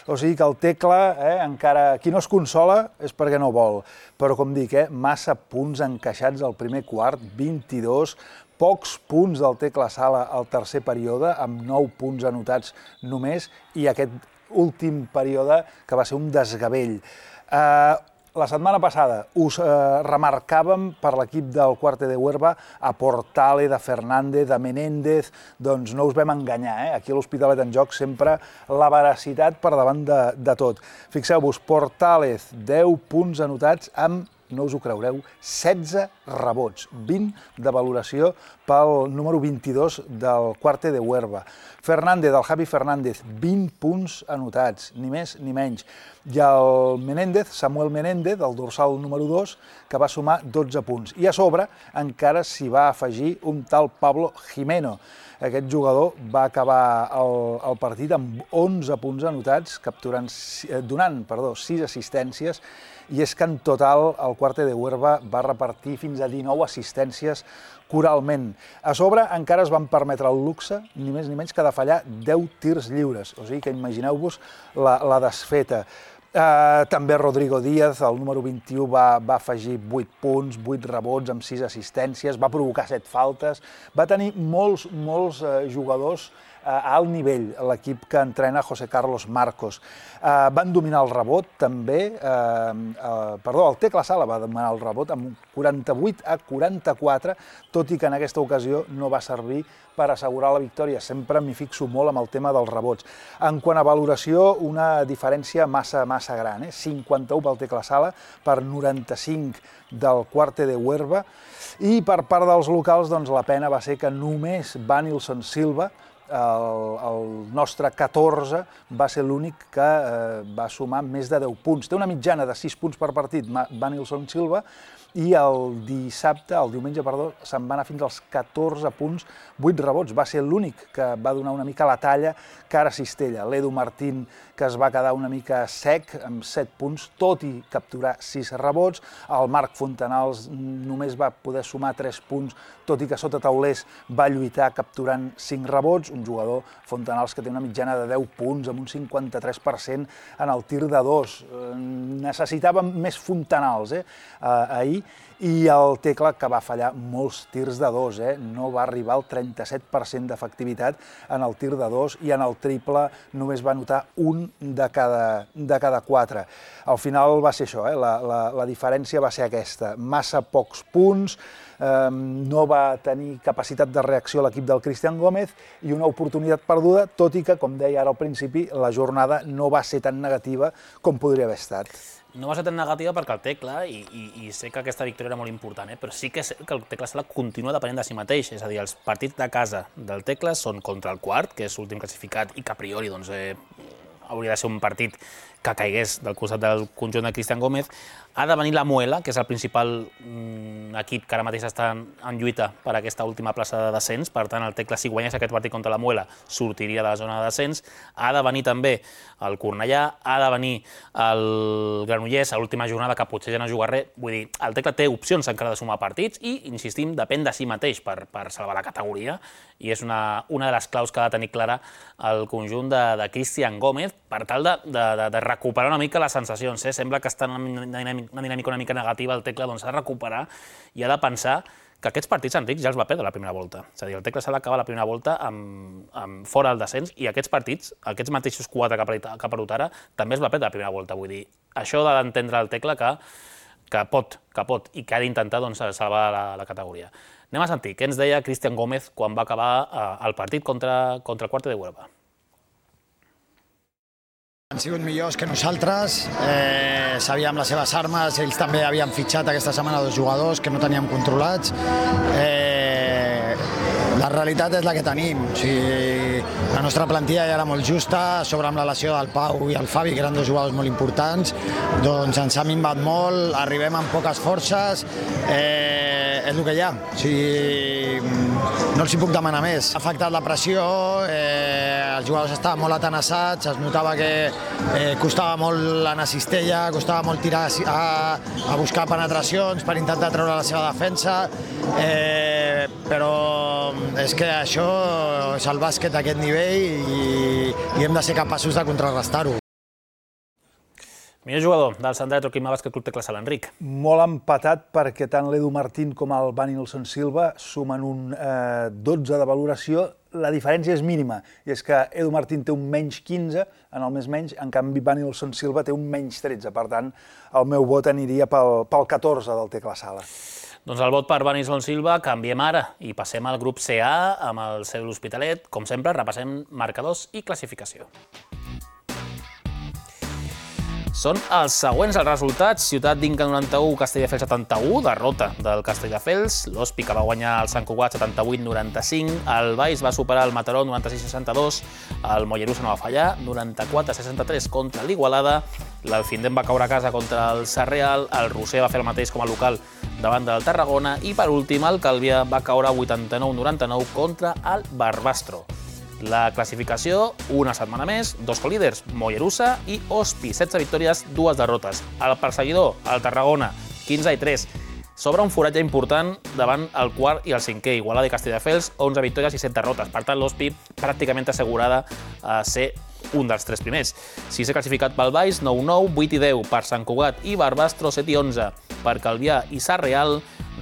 o sigui que el Tecla, encara qui no es consola és perquè no vol, però com dic, massa punts encaixats al primer quart, 22, pocs punts del Tecla Sala al tercer període, amb 9 punts anotats només, i aquest últim període que va ser un desgavell. La setmana passada us remarcàvem per l'equip del Quarte de Huerva a Portale, de Fernández, de Menéndez, doncs no us vam enganyar, Aquí a l'Hospitalet en joc sempre la veracitat per davant de tot. Fixeu-vos, Portale, 10 punts anotats amb, no us ho creureu, 16 rebots, 20 de valoració pel número 22 del Quarte de Huerva. Fernández, del Javi Fernández, 20 punts anotats, ni més ni menys. I el Menéndez, Samuel Menéndez, del dorsal número 2, que va sumar 12 punts. I a sobre encara s'hi va afegir un tal Pablo Jimeno. Aquest jugador va acabar el partit amb 11 punts anotats, donant 6 assistències, i és que en total el Quarte de Huerva va repartir fins a 19 assistències coralment. A sobre encara es van permetre el luxe, ni més ni menys que de fallar 10 tirs lliures, o sigui que imagineu-vos la desfeta. També Rodrigo Díaz, el número 21, va afegir 8 punts, 8 rebots amb 6 assistències, va provocar 7 faltes, va tenir molts jugadors a alt nivell, l'equip que entrena José Carlos Marcos. Van dominar el rebot també, el Tecla Sala va dominar el rebot amb 48-44, tot i que en aquesta ocasió no va servir per assegurar la victòria. Sempre m'hi fixo molt amb el tema dels rebots. En quant a valoració, una diferència massa gran, 51 pel Tecla Sala per 95 del Cuarte de Huerva, i per part dels locals la pena va ser que només Vanilson Silva, el nostre 14, va ser l'únic que va sumar més de 10 punts. Té una mitjana de 6 punts per partit Vanilson Silva, i el diumenge, se'n va anar fins als 14 punts, 8 rebots. Va ser l'únic que va donar una mica la talla cara a Cistella. L'Edu Martín, que es va quedar una mica sec, amb 7 punts, tot i capturar 6 rebots. El Marc Fontanals només va poder sumar 3 punts, tot i que sota taulers va lluitar capturant 5 rebots. Un jugador, Fontanals, que té una mitjana de 10 punts, amb un 53% en el tir de 2. Necessitàvem més Fontanals ahir, i el Tecla, que va fallar molts tirs de 2, no va arribar al 37% d'efectivitat en el tir de 2, i en el triple només va anotar un de cada 4. Al final va ser això, la diferència va ser aquesta, massa pocs punts, no va tenir capacitat de reacció l'equip del Cristian Gómez i una oportunitat perduda, tot i que, com deia ara al principi, la jornada no va ser tan negativa com podria haver estat. No va ser tan negativa perquè el Tecla, i sé que aquesta victòria era molt important, però sí que és que el Tecla Sala continua depenent de si mateix, és a dir, els partits de casa del Tecla són contra el Quart, que és l'últim classificat i que a priori hauria de ser un partit que caigués del costat del conjunt de Cristian Gómez. Ha de venir la Muela, que és el principal equip que ara mateix està en lluita per aquesta última plaça de descens. Per tant, el Tecla, si guanyés aquest partit contra la Muela, sortiria de la zona de descens. Ha de venir també el Cornellà, ha de venir el Granollers a l'última jornada, que potser ja no juga res. Vull dir, el Tecla té opcions encara de sumar partits i, insistim, depèn de si mateix per salvar la categoria, i és una de les claus que ha de tenir clara el conjunt de Cristian Gómez per tal de recuperar una mica les sensacions. Sembla que està en una dinàmica una mica negativa el Tecla, doncs ha de recuperar i ha de pensar que aquests partits, Enric, ja els va perdre la primera volta. És a dir, el Tecla s'ha d'acabar la primera volta fora del descens, i aquests partits, aquests mateixos 4 que ha perdut ara, també es va perdre la primera volta. Vull dir, això ha d'entendre el Tecla que pot i que ha d'intentar salvar la categoria. Anem a sentir què ens deia Cristian Gómez quan va acabar el partit contra el Cuarte de Huelva. Han sigut millors que nosaltres, sabíem les seves armes, ells també havien fitxat aquesta setmana 2 jugadors que no teníem controlats. La realitat és la que tenim, la nostra plantilla ja era molt justa, a sobre amb la lesió del Pau i el Fabi, que eren 2 jugadors molt importants, doncs ens ha minvat molt, arribem amb poques forces, és el que hi ha, no els hi puc demanar més. Ha afectat la pressió, els jugadors estaven molt atenassats, es notava que costava molt anar a cistella, costava molt tirar a buscar penetracions per intentar treure la seva defensa, però és que això és el bàsquet a aquest nivell i hem de ser capaços de contrarrestar-ho. Millor jugador del Sant Andreu Troquima Bàsquet Club Tecla Sala, Enric. Molt empatat perquè tant l'Edu Martín com el Vanilson Silva sumen un 12 de valoració. La diferència és mínima, i és que Edu Martín té un menys 15 en el més menys, en canvi Vanilson Silva té un menys 13. Per tant, el meu vot aniria pel 14 del Tecla Sala. Doncs el vot per Vanilson Silva canviem ara i passem al grup CA amb el seu l'Hospitalet. Com sempre, repassem marcadors i classificació. Són els següents els resultats. Ciutat d'Inca 91, Castelldefels 71, derrota del Castelldefels. L'Hospi, que va guanyar el Sant Cugat 78-95. El Valls va superar el Mataró 96-62. El Mollerussa no va fallar, 94-63 contra l'Igualada. L'Alfindem va caure a casa contra el Sarrià. El Roser va fer el mateix com a local davant del Tarragona. I per últim, el Calvià va caure 89-99 contra el Barbastro. La classificació, una setmana més, 2 colíders, Mollerussa i Hospi, 16 victòries, 2 derrotes. El perseguidor, el Tarragona, 15-3. S'obre un foratge important davant el quart i el cinquè, Igualada i Castelldefels, 11 victòries i 7 derrotes. Per tant, l'Hospi pràcticament assegurada a ser un dels 3 primers. 6è classificat pel Valls, 9-9, 8-10 per Sant Cugat i Barbastro, 7-11 per Calvià i Sarrià,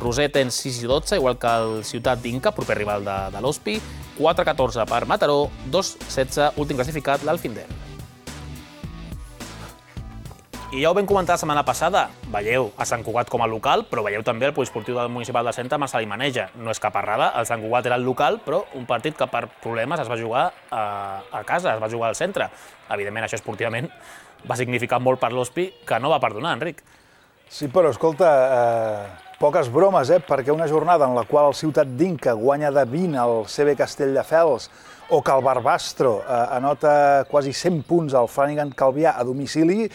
Roser en 6 i 12, igual que el Ciutat d'Inca, proper rival de l'Hospi. 4-14 per Mataró, 2-16, últim classificat, l'Alfindén. I ja ho vam comentar la setmana passada, veieu a Sant Cugat com a local, però veieu també el poliesportiu del municipal de Centa amb el Salimaneja. No és cap errada, el Sant Cugat era el local, però un partit que per problemes es va jugar a casa, es va jugar al centre. Evidentment, això esportivament va significar molt per l'Hospi, que no va perdonar, Enric. Sí, però escolta, poques bromes, perquè una jornada en la qual el Ciutat d'Inca guanya de 20 al CB Castelldefels, o que el Barbastro anota quasi 100 punts al Flanagan Calvià a domicili,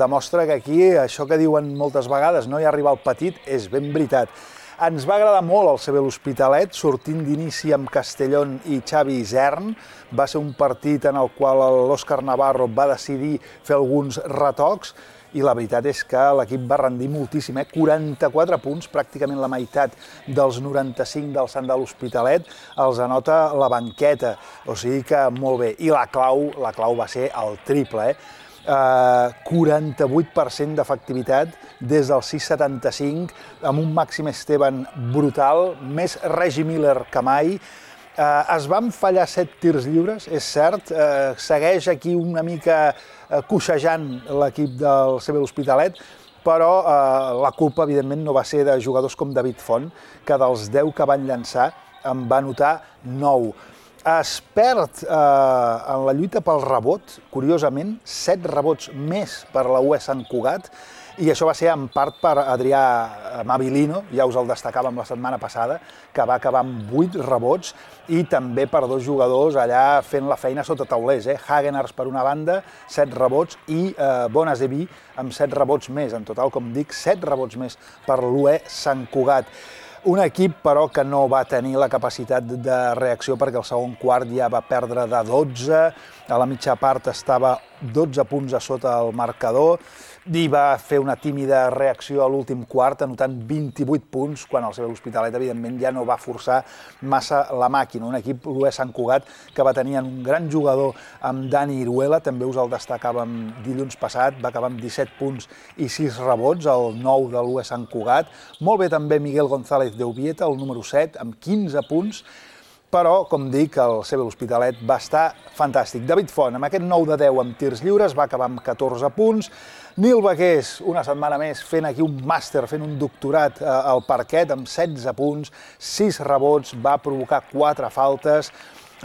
demostra que aquí això que diuen moltes vegades, no hi ha rival petit, és ben veritat. Ens va agradar molt el CB l'Hospitalet, sortint d'inici amb Castellón i Xavi Isern. Va ser un partit en el qual l'Òscar Navarro va decidir fer alguns retocs, i la veritat és que l'equip va rendir moltíssim, 44 punts, pràcticament la meitat dels 95 del Sant de l'Hospitalet, els anota la banqueta, o sigui que molt bé. I la clau va ser el triple, 48% d'efectivitat des del 6,75, amb un Màxim Esteban brutal, més Regi Miller que mai. Es van fallar 7 tirs lliures, és cert, segueix aquí una mica coixejant l'equip del CB l'Hospitalet, però la culpa, evidentment, no va ser de jugadors com David Font, que dels 10 que van llançar en va anotar 9. Es perd en la lluita pel rebot, curiosament, 7 rebots més per la UE Sant Cugat, i això va ser en part per Adrià Mabilino, ja us el destacàvem la setmana passada, que va acabar amb 8 rebots, i també per 2 jugadors allà fent la feina sota taulers. Hagenars per una banda, 7 rebots, i Bonazevi amb 7 rebots més. En total, com dic, 7 rebots més per l'UE Sant Cugat. Un equip, però, que no va tenir la capacitat de reacció perquè el segon quart ja va perdre de 12, a la mitja part estava 12 punts a sota el marcador, i va fer una tímida reacció a l'últim quart, anotant 28 punts, quan el CB l'Hospitalet, evidentment, ja no va forçar massa la màquina. Un equip, l'UE Sant Cugat, que va tenir un gran jugador amb Dani Iruela, també us el destacàvem dilluns passat, va acabar amb 17 punts i 6 rebots, el 9 de l'UE Sant Cugat. Molt bé també Miguel González de Ubieta, el número 7, amb 15 punts, però, com dic, el CB l'Hospitalet va estar fantàstic. David Font, amb aquest 9 de 10 amb tirs lliures, va acabar amb 14 punts. Nil Baqués, una setmana més, fent aquí un màster, fent un doctorat al parquet, amb 16 punts, 6 rebots, va provocar 4 faltes.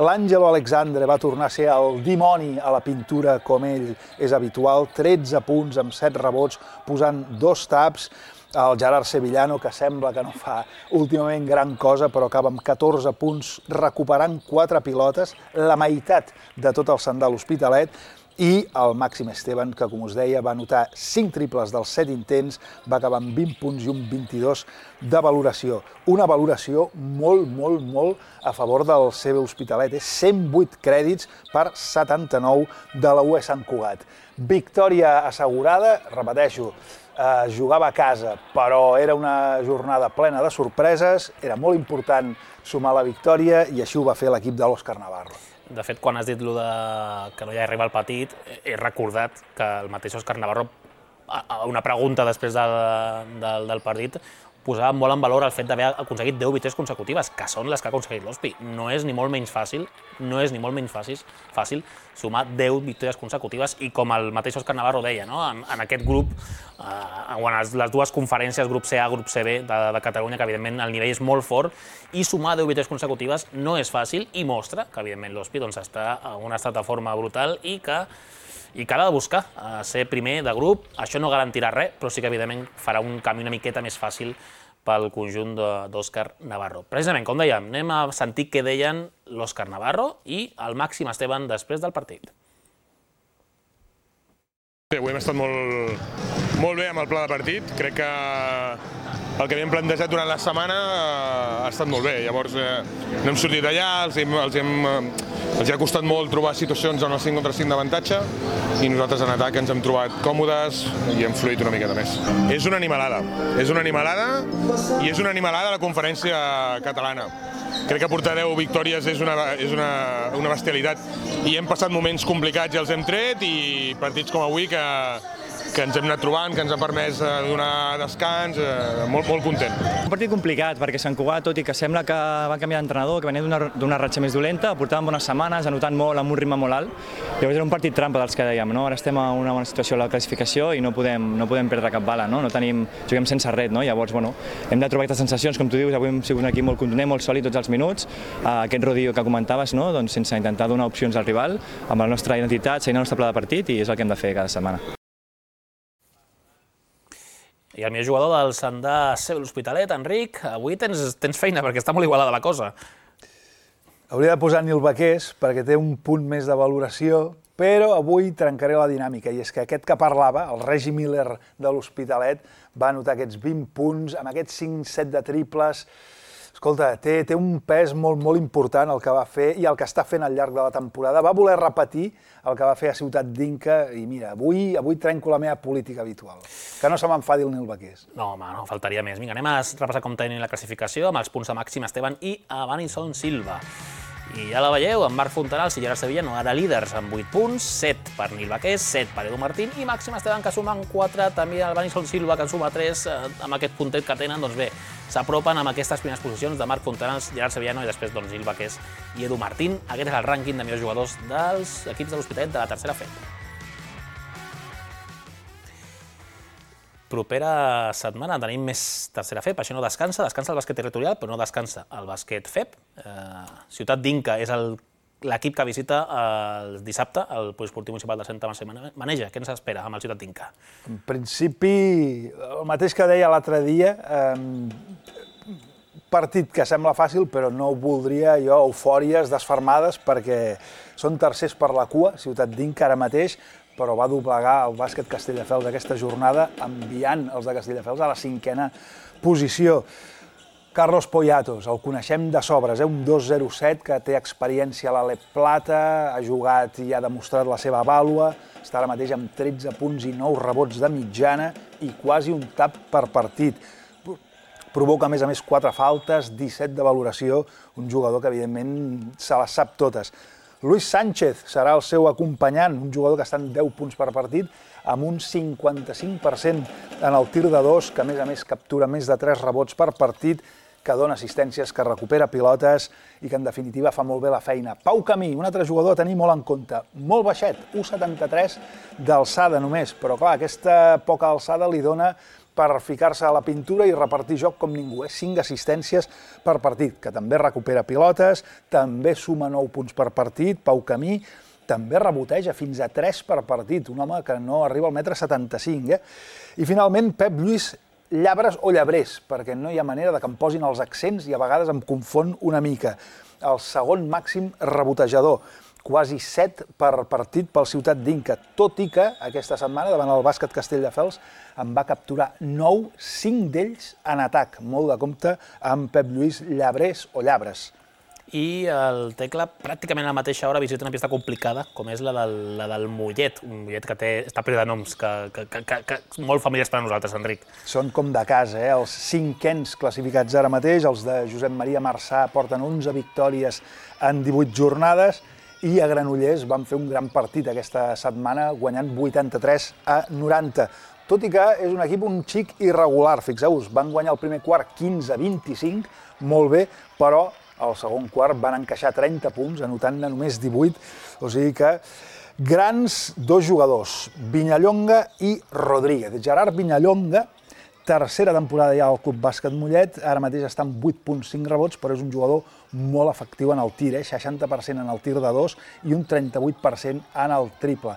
L'Àngelo Alexandre va tornar a ser el dimoni a la pintura, com ell és habitual, 13 punts amb 7 rebots, posant 2 taps. El Gerard Sevillano, que sembla que no fa últimament gran cosa, però acaba amb 14 punts, recuperant 4 pilotes, la meitat de tot el Sant de l'Hospitalet, i el Màxim Esteban, que, com us deia, va anotar 5 triples dels 7 intents, va acabar amb 20 punts i un 22 de valoració. Una valoració molt a favor del CB Hospitalet. 108 crèdits per 79 de la UE Sant Cugat. Victòria assegurada, repeteixo, jugava a casa, però era una jornada plena de sorpreses, era molt important sumar la victòria i així ho va fer l'equip de l'Òscar Navarro. De fet, quan has dit que no hi ha rival petit, he recordat que el mateix Òscar Navarro, a una pregunta després del partit, posava molt en valor el fet d'haver aconseguit 10 victòries consecutives, que són les que ha aconseguit l'Hospi. No és ni molt menys fàcil sumar 10 victòries consecutives, i com el mateix Òscar Navarro deia, en aquest grup, en les dues conferències, grup CA, grup CB de Catalunya, que evidentment el nivell és molt fort, i sumar 10 victòries consecutives no és fàcil, i mostra que evidentment l'Hospi està en un estat de forma brutal i que ha de buscar ser primer de grup. Això no garantirà res, però sí que evidentment farà un camí una miqueta més fàcil pel conjunt d'Òscar Navarro. Precisament, com dèiem, anem a sentir què deien l'Òscar Navarro i el Màxim Esteban després del partit. Avui hem estat molt bé amb el pla de partit. Crec que el que havíem plantejat durant la setmana ha estat molt bé. Llavors no hem sortit d'allà, els ha costat molt trobar situacions on el 5 contra 5 d'avantatge, i nosaltres en atac ens hem trobat còmodes i hem fluït una miqueta més. És una animalada i és una animalada la conferència catalana. Crec que portar 10 victòries és una bestialitat, i hem passat moments complicats i els hem tret, i partits com avui que ens hem anat trobant, que ens ha permès donar descans, molt content. Un partit complicat, perquè Sant Cugat, tot i que sembla que va canviar d'entrenador, que venia d'una ratxa més dolenta, portaven bones setmanes, anotant molt, amb un ritme molt alt. Llavors era un partit trampa dels que dèiem, no? Ara estem en una bona situació a la classificació i no podem perdre cap bala, no? Juguem sense ret, no? Llavors, hem de trobar aquestes sensacions, com tu dius, avui hem sigut un equip molt contundent, molt sòlid tots els minuts, aquest rodillo que comentaves, no? Doncs sense intentar donar opcions al rival, amb la nostra identitat, seguint el nostre pla de partit, i és el que hem de fer cada setmana. I el millor jugador del Sandà CB l'Hospitalet, Enric, avui tens feina perquè està molt igualada la cosa. Hauria de posar Nil Baqués perquè té un punt més de valoració, però avui trencaré la dinàmica, i és que aquest que parlava, el Regi Miller de l'Hospitalet, va anotar aquests 20 punts, amb aquests 5-7 de triples. Escolta, té un pes molt important el que va fer i el que està fent al llarg de la temporada. Va voler repetir el que va fer a Ciutat d'Inca i mira, avui trenco la meva política habitual. Que no se m'enfadi el Nil Baqués. No, home, no, faltaria més. Vinga, anem a repassar com tenim la classificació amb els punts de Màxim Esteban i Evanilson Silva. I ja la veieu, amb Marc Fontanals i Gerard Sevillano, ara líders amb 8 punts, 7 per Nil Baqués, 7 per Edu Martín i Màxim Esteban, que sumen 4, també el Evanilson Silva, que en suma 3, amb aquest puntet que tenen, doncs bé, s'apropen amb aquestes primeres posicions de Marc Fontanals, Gerard Sevillano i després doncs, Nil Baqués i Edu Martín. Aquest és el rànquing de millors jugadors dels equips de l'Hospitalet de la tercera FEP. Propera setmana tenim més tercera FEP, això no descansa el bàsquet territorial, però no descansa el bàsquet FEP. Ciutat d'Inca és l'equip que visita el dissabte el Poliesportiu Municipal de Santa Mercè Maneja. Què ens espera amb el Ciutat d'Inca? En principi, el mateix que deia l'altre dia, partit que sembla fàcil, però no voldria jo eufòries desfermades perquè són tercers per la cua, Ciutat d'Inca ara mateix, però va doblegar el bàsquet Castelldefels aquesta jornada, enviant els de Castelldefels a la 5a posició. Carlos Poyatos, el coneixem de sobres, un 2-0-7 que té experiència a l'Alep Plata, ha jugat i ha demostrat la seva vàlua, està ara mateix amb 13 punts i 9 rebots de mitjana i quasi un tap per partit. Provoca, a més, 4 faltes, 17 de valoració, un jugador que, evidentment, se les sap totes. Luis Sánchez serà el seu acompanyant, un jugador que està en 10 punts per partit, amb un 55% en el tir de 2, que, a més, captura més de 3 rebots per partit, que dona assistències, que recupera pilotes i que, en definitiva, fa molt bé la feina. Pau Camí, un altre jugador a tenir molt en compte, molt baixet, 1,73 d'alçada només, però, clar, aquesta poca alçada li dona per ficar-se a la pintura i repartir joc com ningú. 5 assistències per partit, que també recupera pilotes, també suma 9 punts per partit, Pau Camí, també reboteja fins a 3 per partit, un home que no arriba al 1,75 m. I finalment, Pep Lluís Llabres o Llabrés, perquè no hi ha manera de que em posin els accents i a vegades em confon una mica. El segon màxim rebotejador, quasi 7 per partit pel Ciutat d'Inca, tot i que aquesta setmana, davant el bàsquet Castelldefels, en va capturar 9, 5 d'ells en atac. Molt de compte amb Pep Lluís Llabrés o Llabres. I el Tecla, pràcticament a la mateixa hora, visita una pista complicada, com és la del Mollet, un Mollet que està ple de noms, que molt familiars per a nosaltres, Enric. Són com de casa, els 5ens classificats ara mateix, els de Josep Maria Marçà porten 11 victòries en 18 jornades, i a Granollers van fer un gran partit aquesta setmana, guanyant 83-90. Tot i que és un equip un xic irregular, fixeu-vos, van guanyar el primer quart 15-25, molt bé, però al segon quart van encaixar 30 punts, anotant-ne només 18, o sigui que grans dos jugadors, Viñallonga i Rodríguez. Gerard Viñallonga, tercera temporada ja al Club Bàsquet Mollet, ara mateix està amb 8,5 rebots, però és un jugador molt efectiu en el tir, 60% en el tir de 2 i un 38% en el triple.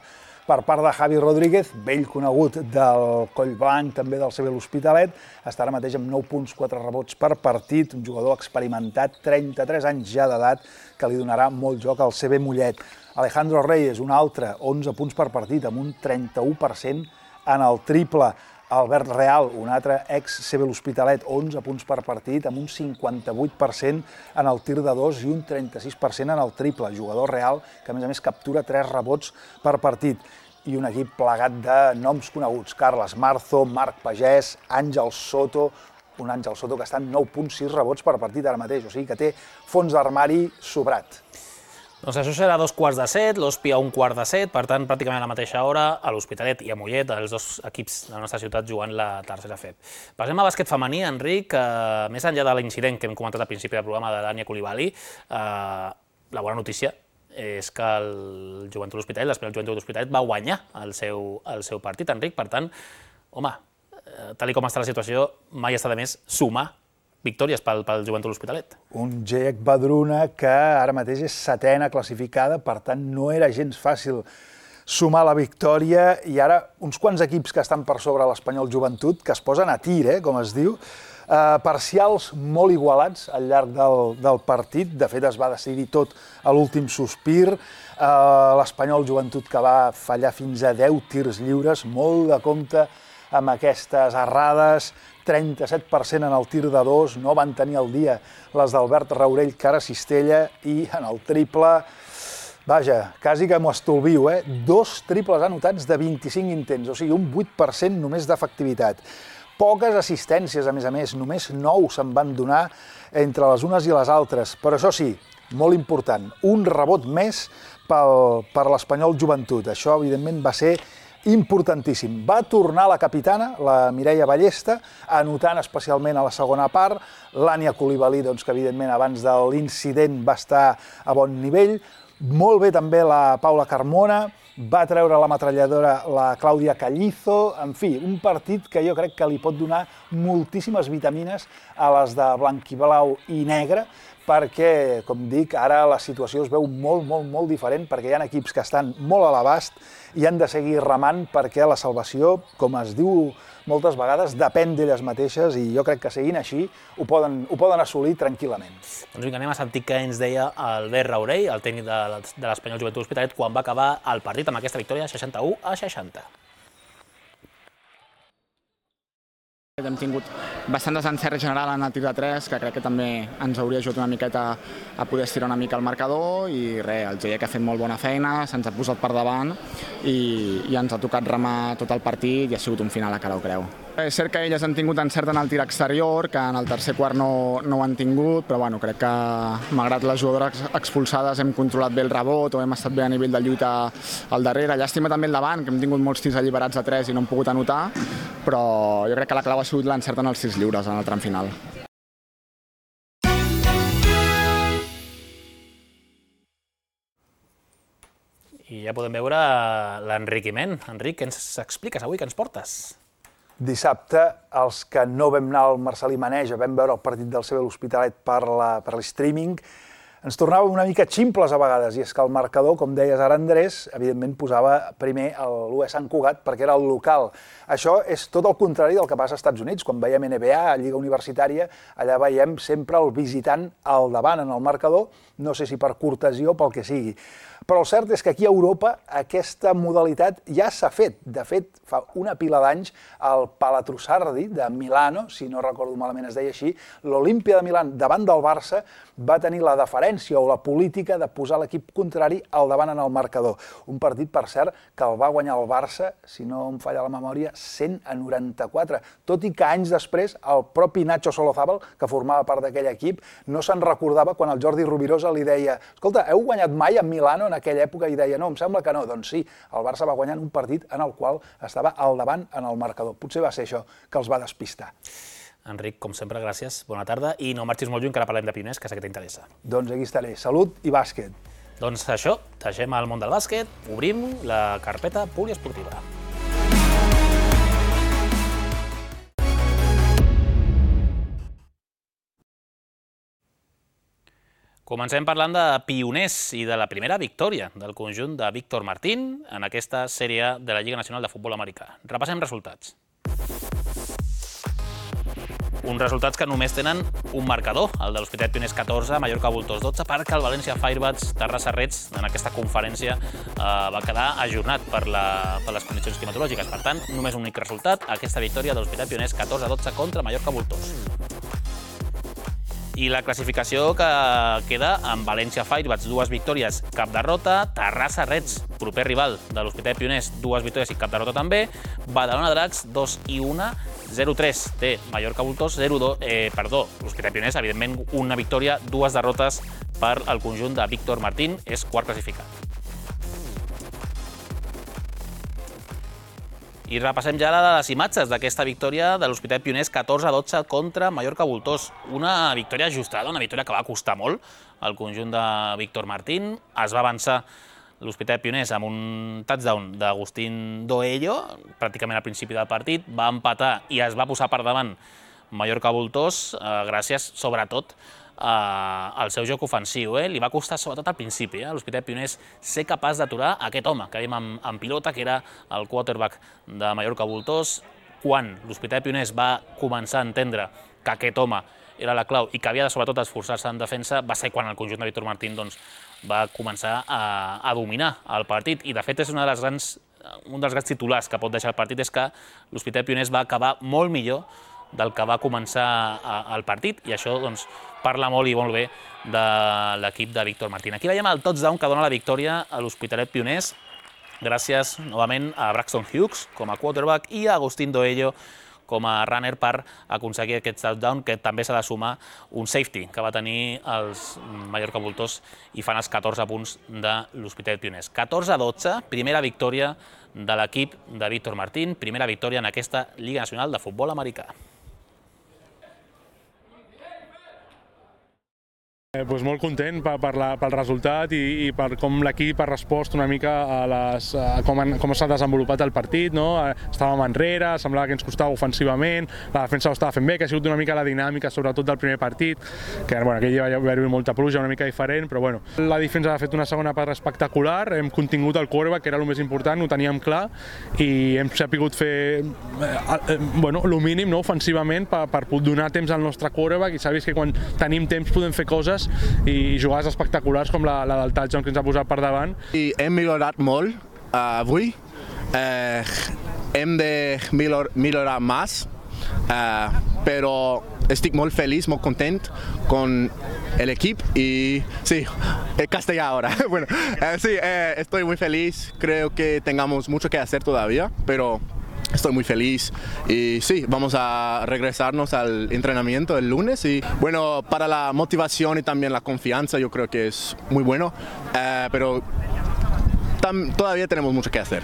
Per part de Javi Rodríguez, vell conegut del Collblanc, també del CB l'Hospitalet, està ara mateix amb 9 punts, 4 rebots per partit, un jugador experimentat, 33 anys ja d'edat, que li donarà molt joc al CB Mollet. Alejandro Reyes, un altre, 11 punts per partit, amb un 31% en el triple. Albert Real, un altre ex-CB l'Hospitalet, 11 punts per partit, amb un 58% en el tir de 2 i un 36% en el triple. Jugador real que, a més, captura 3 rebots per partit. I un equip plegat de noms coneguts. Carles Marzo, Marc Pagès, Àngel Soto, un Àngel Soto que està en 9,6 rebots per partit ara mateix, o sigui que té fons d'armari sobrat. Doncs això serà a 2:15, l'Hospi a 1:15, per tant, pràcticament a la mateixa hora, a l'Hospitalet i a Mollet, els dos equips de la nostra ciutat jugant la tercera FEB. Passem a bàsquet femení, Enric, més enllà de l'incident que hem comentat al principi del programa de l'Ània Coulibaly, la bona notícia és que el Joventut de l'Hospitalet, l'Espanyol Joventut de l'Hospitalet, va guanyar el seu partit, Enric. Per tant, home, tal com està la situació, mai està de més sumar victòries pel Joventut de l'Hospitalet. Un GEC Badruna que ara mateix és setena classificada, per tant no era gens fàcil sumar la victòria, i ara uns quants equips que estan per sobre l'Espanyol Joventut, que es posen a tir, com es diu, parcials molt igualats al llarg del partit. De fet, es va decidir tot a l'últim sospir. L'Espanyol Joventut que va fallar fins a 10 tirs lliures, molt de compte amb aquestes errades, 37% en el tir de 2, no van tenir el dia les d'Albert Raurell, Cara Cistella, i en el triple, vaja, quasi que m'ho estolvio, 2 triples anotats de 25 intents, o sigui, un 8% només d'efectivitat. Poques assistències, a més, només 9 se'n van donar entre les unes i les altres, però això sí, molt important, un rebot més per l'Espanyol Joventut. Això, evidentment, va ser importantíssim. Va tornar la capitana, la Mireia Ballesta, anotant especialment a la segona part. L'Ània Coulibaly, que evidentment abans de l'incident va estar a bon nivell. Molt bé també la Paula Carmona, va treure la metralladora la Clàudia Callizo. En fi, un partit que jo crec que li pot donar moltíssimes vitamines a les de blanquiblau i negre, perquè, com dic, ara la situació es veu molt diferent, perquè hi ha equips que estan molt a l'abast i han de seguir remant, perquè la salvació, com es diu moltes vegades, depèn d'elles mateixes, i jo crec que seguint així ho poden assolir tranquil·lament. Doncs vinga, anem a sentir què ens deia Albert Raurell, el tècnic de l'Espanyol Joventut de l'Hospitalet, quan va acabar el partit amb aquesta victòria 61-60. Hem tingut bastant desencert general en el tir de 3, que crec que també ens hauria ajudat una miqueta a poder estirar una mica el marcador, i res, el GEC ha fet molt bona feina, se'ns ha posat per davant i ens ha tocat remar tot el partit i ha sigut un final a cara o creu. És cert que elles han tingut encert en el tir exterior, que en el tercer quart no ho han tingut, però bueno, crec que malgrat les jugadores expulsades hem controlat bé el rebot o hem estat bé a nivell de lluita al darrere. Llàstima també el davant, que hem tingut molts tirs alliberats a 3 i no hem pogut anotar, però jo crec que la clau ha sigut l'encert en els tirs lliures en el tram final. I ja podem veure l'enriquiment. Enric, què ens expliques avui, què ens portes? Dissabte, els que no vam anar al Marcel·lí Maneja, vam veure el partit del CB l'Hospitalet per l'streaming, ens tornàvem una mica ximples a vegades, i és que el marcador, com deies ara, Andrés, evidentment posava primer l'UE Sant Cugat perquè era el local. Això és tot el contrari del que passa als Estats Units. Quan veiem NBA, Lliga Universitària, allà veiem sempre el visitant al davant en el marcador, no sé si per cortesia o pel que sigui. Però el cert és que aquí a Europa aquesta modalitat ja s'ha fet. De fet, fa una pila d'anys, el Palatrusardi de Milano, si no recordo malament es deia així, l'Olimpia de Milà davant del Barça va tenir la deferència o la política de posar l'equip contrari al davant en el marcador. Un partit, per cert, que el va guanyar el Barça, si no em falla la memòria, 100-94. Tot i que anys després el propi Nacho Solozábal, que formava part d'aquell equip, no se'n recordava quan el Jordi Rovirosa li deia: escolta, heu guanyat mai a Milano en aquella època? I deia: no, em sembla que no. Doncs sí, el Barça va guanyar un partit en el qual estava al davant en el marcador. Potser va ser això que els va despistar. Enric, com sempre, gràcies, bona tarda, i no marxis molt lluny, que ara parlem de Pioners, que sé que t'interessa. Doncs aquí estaré. Salut i bàsquet. Doncs això, deixem el món del bàsquet, obrim la carpeta poliesportiva. Comencem parlant de Pioners i de la primera victòria del conjunt de Víctor Martín en aquesta sèrie de la Lliga Nacional de Futbol Americà. Repassem resultats. Uns resultats que només tenen un marcador, el de l'Hospitalet Pioners 14, Mallorca Voltors 12, perquè el València Firebats Terrassa Reds en aquesta conferència va quedar ajornat per les condicions climatològiques. Per tant, només un únic resultat, aquesta victòria de l'Hospitalet Pioners 14-12 contra Mallorca Voltors. I la classificació que queda amb València Firebats, 2 victòries, cap derrota, Terrassa Reds, proper rival de l'Hospitalet Pioners, 2 victòries i cap derrota també, Badalona Dracs, 2-1, 0-3 té Mallorca Voltors, l'Hospitalet Pioners, evidentment, una victòria, 2 derrotes per al conjunt de Víctor Martín, és quart classificat. I repassem ja les imatges d'aquesta victòria de l'Hospitalet Pioners 14-12 contra Mallorca Voltors. Una victòria ajustada, una victòria que va costar molt al conjunt de Víctor Martín. Es va avançar l'Hospitalet Pioners amb un touchdown d'Agustín Doello, pràcticament al principi del partit, va empatar i es va posar per davant Mallorca Voltors, gràcies sobretot al seu joc ofensiu. Li va costar sobretot al principi a l'Hospitalet Pioners ser capaç d'aturar aquest home que veiem en pilota, que era el quarterback de Mallorca Voltors. Quan l'Hospitalet Pioners va començar a entendre que aquest home era la clau i que havia de sobretot esforçar-se en defensa, va ser quan el conjunt de Víctor Martín va començar a dominar el partit. I de fet és un dels grans titulars que pot deixar el partit, és que l'Hospitalet Pioners va acabar molt millor del que va començar el partit, i això parla molt i molt bé de l'equip de Víctor Martín. Aquí veiem el touchdown que dona la victòria a l'Hospitalet Pioners, gràcies novament a Braxton Hughes com a quarterback i a Agustín Doello com a runner per aconseguir aquest touchdown, que també s'ha de sumar un safety que va tenir els Mallorca Voltors i fan els 14 punts de l'Hospitalet Pioners. 14-12, primera victòria de l'equip de Víctor Martín, primera victòria en aquesta Lliga Nacional de Futbol Americà. Molt content pel resultat i per com l'equip ha respost una mica a com s'ha desenvolupat el partit. Estàvem enrere, semblava que ens costava ofensivament, la defensa ho estava fent bé, que ha sigut una mica la dinàmica sobretot del primer partit, que aquell va haver-hi molta pluja, una mica diferent, però bueno. La defensa ha fet una segona part espectacular, hem contingut el quarterback, que era el més important, ho teníem clar, i hem sabut fer el mínim ofensivament per donar temps al nostre quarterback, i s'ha vist que quan tenim temps podem fer coses i jugades espectaculars com la del touchdown que ens ha posat per davant. I hem millorat molt avui, hem de millorar més, però estic molt feliç, molt content con el equipo y sí, castellano ahora. Bueno, sí, estoy muy feliz, creo que tengamos mucho que hacer todavía, pero estoy muy feliz y sí, vamos a regresarnos al entrenamiento el lunes y bueno, para la motivación y también la confianza yo creo que es muy bueno, pero todavía tenemos mucho que hacer.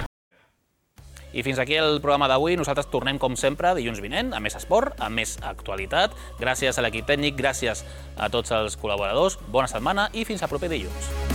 I fins aquí el programa d'avui. Nosaltres tornem, com sempre, dilluns vinent, amb més esport, amb més actualitat. Gràcies a l'equip tècnic, gràcies a tots els col·laboradors. Bona setmana i fins al proper dilluns.